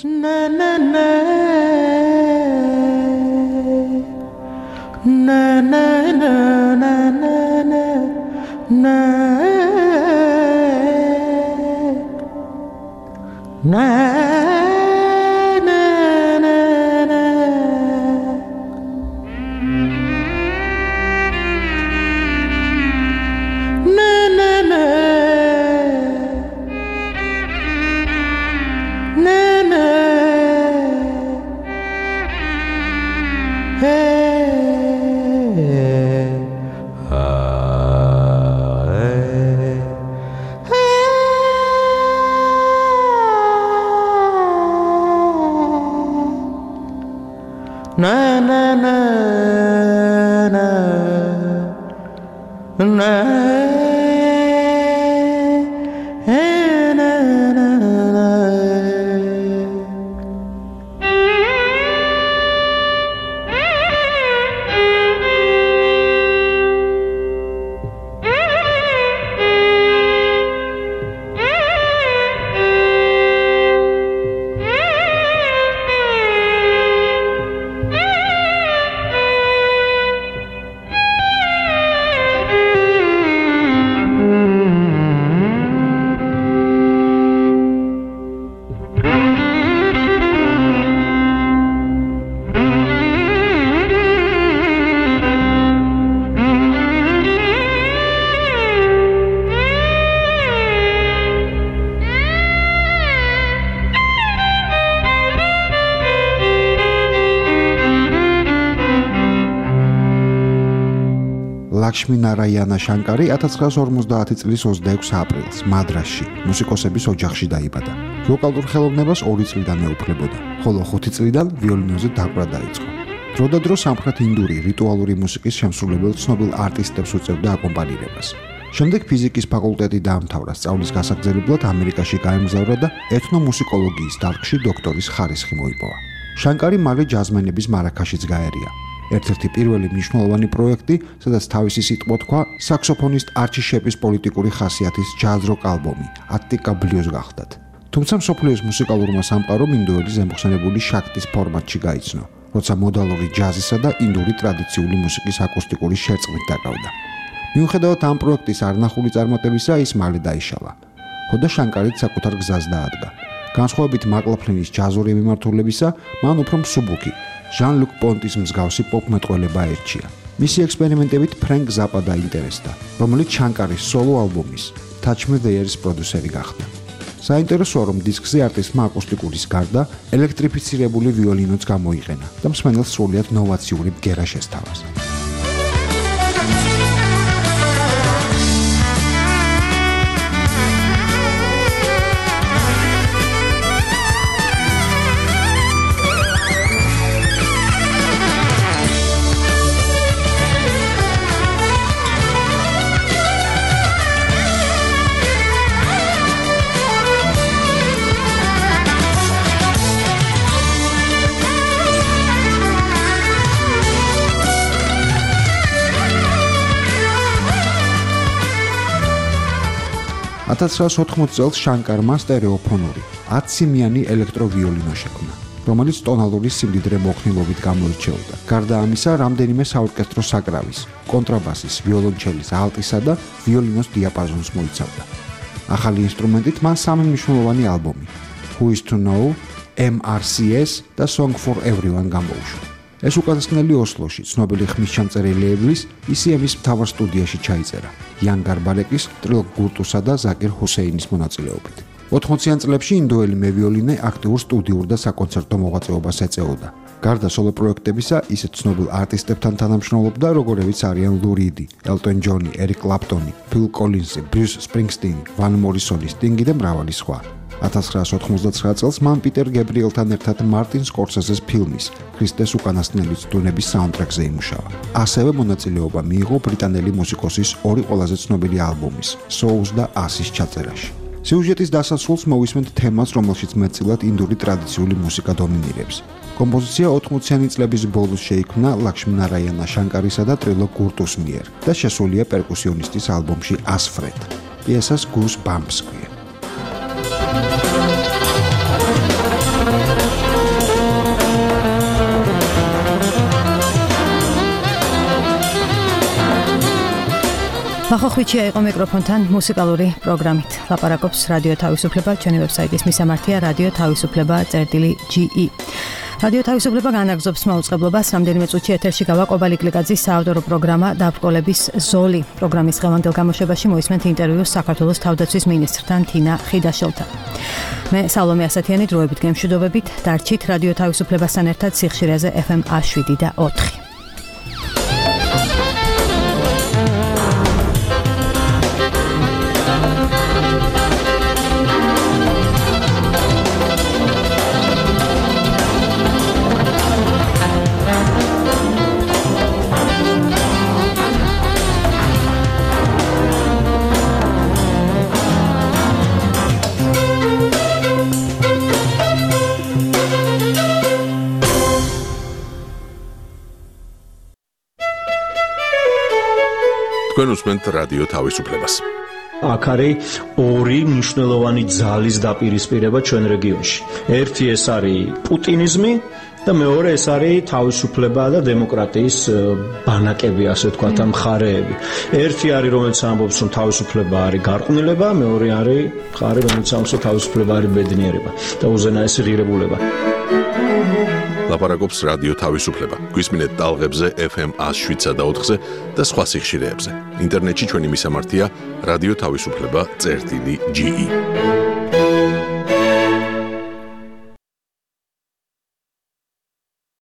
ლაქშმი ნარაიანა შანკარი 1950 წლის 26 აპრილს მადრასში, მუსიკოსების ოჯახში დაიბადა. ვოკალურ ხელოვნებას 2 წლიდან ეუფლებოდა, ხოლო 5 წლიდან ვიოლინოზე დაკვრა დაიწყო. დროდადრო სამხრეთ ინდური რიტუალური მუსიკის შემსრულებელ ცნობილ არტისტებს უწევდა აკომპანირებას. შემდეგ ფიზიკის ფაკულტეტი დაამთავრა, სწავლის გასაგრძელებლად ამერიკაში გაემგზავრა და ეთნომუსიკოლოგიის დარგში დოქტორის ხარისხი მოიპოვა. შანკარი მალე ჯაზმენების მარაქაშიც გაერია. ერთ-ერთი პირველი მნიშვნელოვანი პროექტი, სადაც თავისი სიტყვა თქვა, საქსოფონისტ არჩი შეპის პოლიტიკური ხასიათის ჯაზ-როკ ალბომი ატტიკა ბლიუზ გახდათ. თუმცა მსოფლიოს მუსიკალურმა სამყარომ ინდოელი ზემოხსენებული შაქტის ფორმატში გაიცნო, როცა მოდალური ჯაზისა და ინდური ტრადიციული მუსიკის აკუსტიკური შერწყმით დაკავდა. მიუხედავად ამ პროექტის არნახული წარმატებისა, ის მალე დაიშალა. ხოდა შანკარიც საკუთარ გზას დაადგა. განსხვავებით მაკლაფლინის ჯაზური მიმართულებისა, მან უფრო მსუბუქი ჟან-ლუკ პონტის მსგავსი პოპ-მეტყველება აირჩია. მისი ექსპერიმენტებით ფრენკ ზაპა დაინტერესდა, რომელიც შანკარის სოლო ალბომის Touch Me There-ის პროდიუსერი გახდა. საინტერესოა, რომ დისკზე არტისტმა აკუსტიკურის გარდა ელექტრიფიცირებული ვიოლინოც გამოიყენა და მსმენელს სრულიად ნოვაციური ბგერა შესთავაზა. წელს შანკარმა სტერეოფონური 10 სიმიანი ელექტროვიოლინო შექმნა, რომელიც ტონალური სიმდიდრე მოქნილობით გამოირჩეოდა. გარდა ამისა, რამდენიმე საორკესტრო საკრავის, კონტრაბასის, ვიოლონჩელის, ალტისა და ვიოლინოს დიაპაზონს მოიცავდა. ახალი ინსტრუმენტით მან 3 მნიშვნელოვანი ალბომი Who is to Know, MRCS და Song for Everyone გამოუშვა. ეს უკანასკნელი ოსლოში ცნობილი ხმისჩამწერი ლეიბლის ECM-ის მთავარ სტუდიაში ჩაიწერა იან გარბალეკის, ტრილოკ გურტუსა და ზაკირ ჰუსეინის მონაწილეობით. 80-იან წლებში ინდოელი მევიოლინე აქტიურ სტუდიურ და საკონცერტო მოღვაწეობას ეწეოდა. გარდა სოლო პროექტებისა, ისეთ ცნობილ არტისტებთან თანამშრომლობდა, როგორებიც არიან ლუ რიდი, ელტონ ჯონი, ერიკ კლაპტონი, ფილ კოლინზი, ბრიუს სპრინგსტინი, ვან მორისონი, სტინგი და მრავალი სხვა. 1999 წელს მან პიტერ გებრიელთან ერთად მარტინ სკორსეზეს ფილმის ქრისტეს უკანასკნელი წვდომების საუნდტრეკზე იმუშავა. ასევე მონაწილეობა მიიღო ბრიტანელი მუსიკოსის ორი ყველაზე ცნობილი ალბომის, Souls და Assis ჩაწერაში. სიუჟეტის დასასრულს მოვისმენთ თემას, რომელშიც მეტწილად ინდური ტრადიციული მუსიკა დომინირებს. კომპოზიცია 80-იანი წლების ბოლოს შეიქმნა ლაქშმი ნარაიანა შანკარისა და ტრილო გურტუს მიერ და შესულია პერკუსიონისტის ალბომში Asfred. პიესას Goosebumps ქვია. მახოხვიჩია იყო მიკროფონთან მუსიკალური პროგრამით. ლაპარაკობს რადიო თავისუფლება, ჩვენი ვებსაიტის მისამართია radio.tavisufleba.ge. რადიო თავისუფლება განაგრძობს მაუწყებლობას. რამდენიმე წუთში ეთერში გავა ყოფილი კლიკაძის საავტორო პროგრამა დაბრკოლების ზოლი. პროგრამის დღევანდელ გამოშვებაში მოისმენთ ინტერვიუს საქართველოს თავდაცვის მინისტრთან თინა ხიდაშელთან. მე სალომე ასათიანი დროებით გემშვიდობებით. დარჩით რადიო თავისუფლებასთან ერთად სიხშირეზე FM 7 და 4. თქვენ უსმენთ რადიო თავისუფლებას. აქ არის ორი მნიშვნელოვანი ძალის დაპირისპირება ჩვენ რეგიონში. ერთი ეს არის პუტინიზმი და მეორე ეს არის თავისუფლება და დემოკრატიის ბანაკები, ასე ვთქვათ, მხარეები. ერთი არის, რომელიც ამბობს, რომ თავისუფლება არის გარყვნილება, მეორე არის მხარე, რომელიც ამბობს, რომ თავისუფლება არის ბედნიერება და უზენაესი ღირებულება. ლაპარაკობს რადიო თავისუფლება. გვისმინეთ ტალღებზე FM 107 და 4-ზე და სხვა სიხშირეებზე. ინტერნეტში ჩვენი მისამართია radiotavisufleba.ge.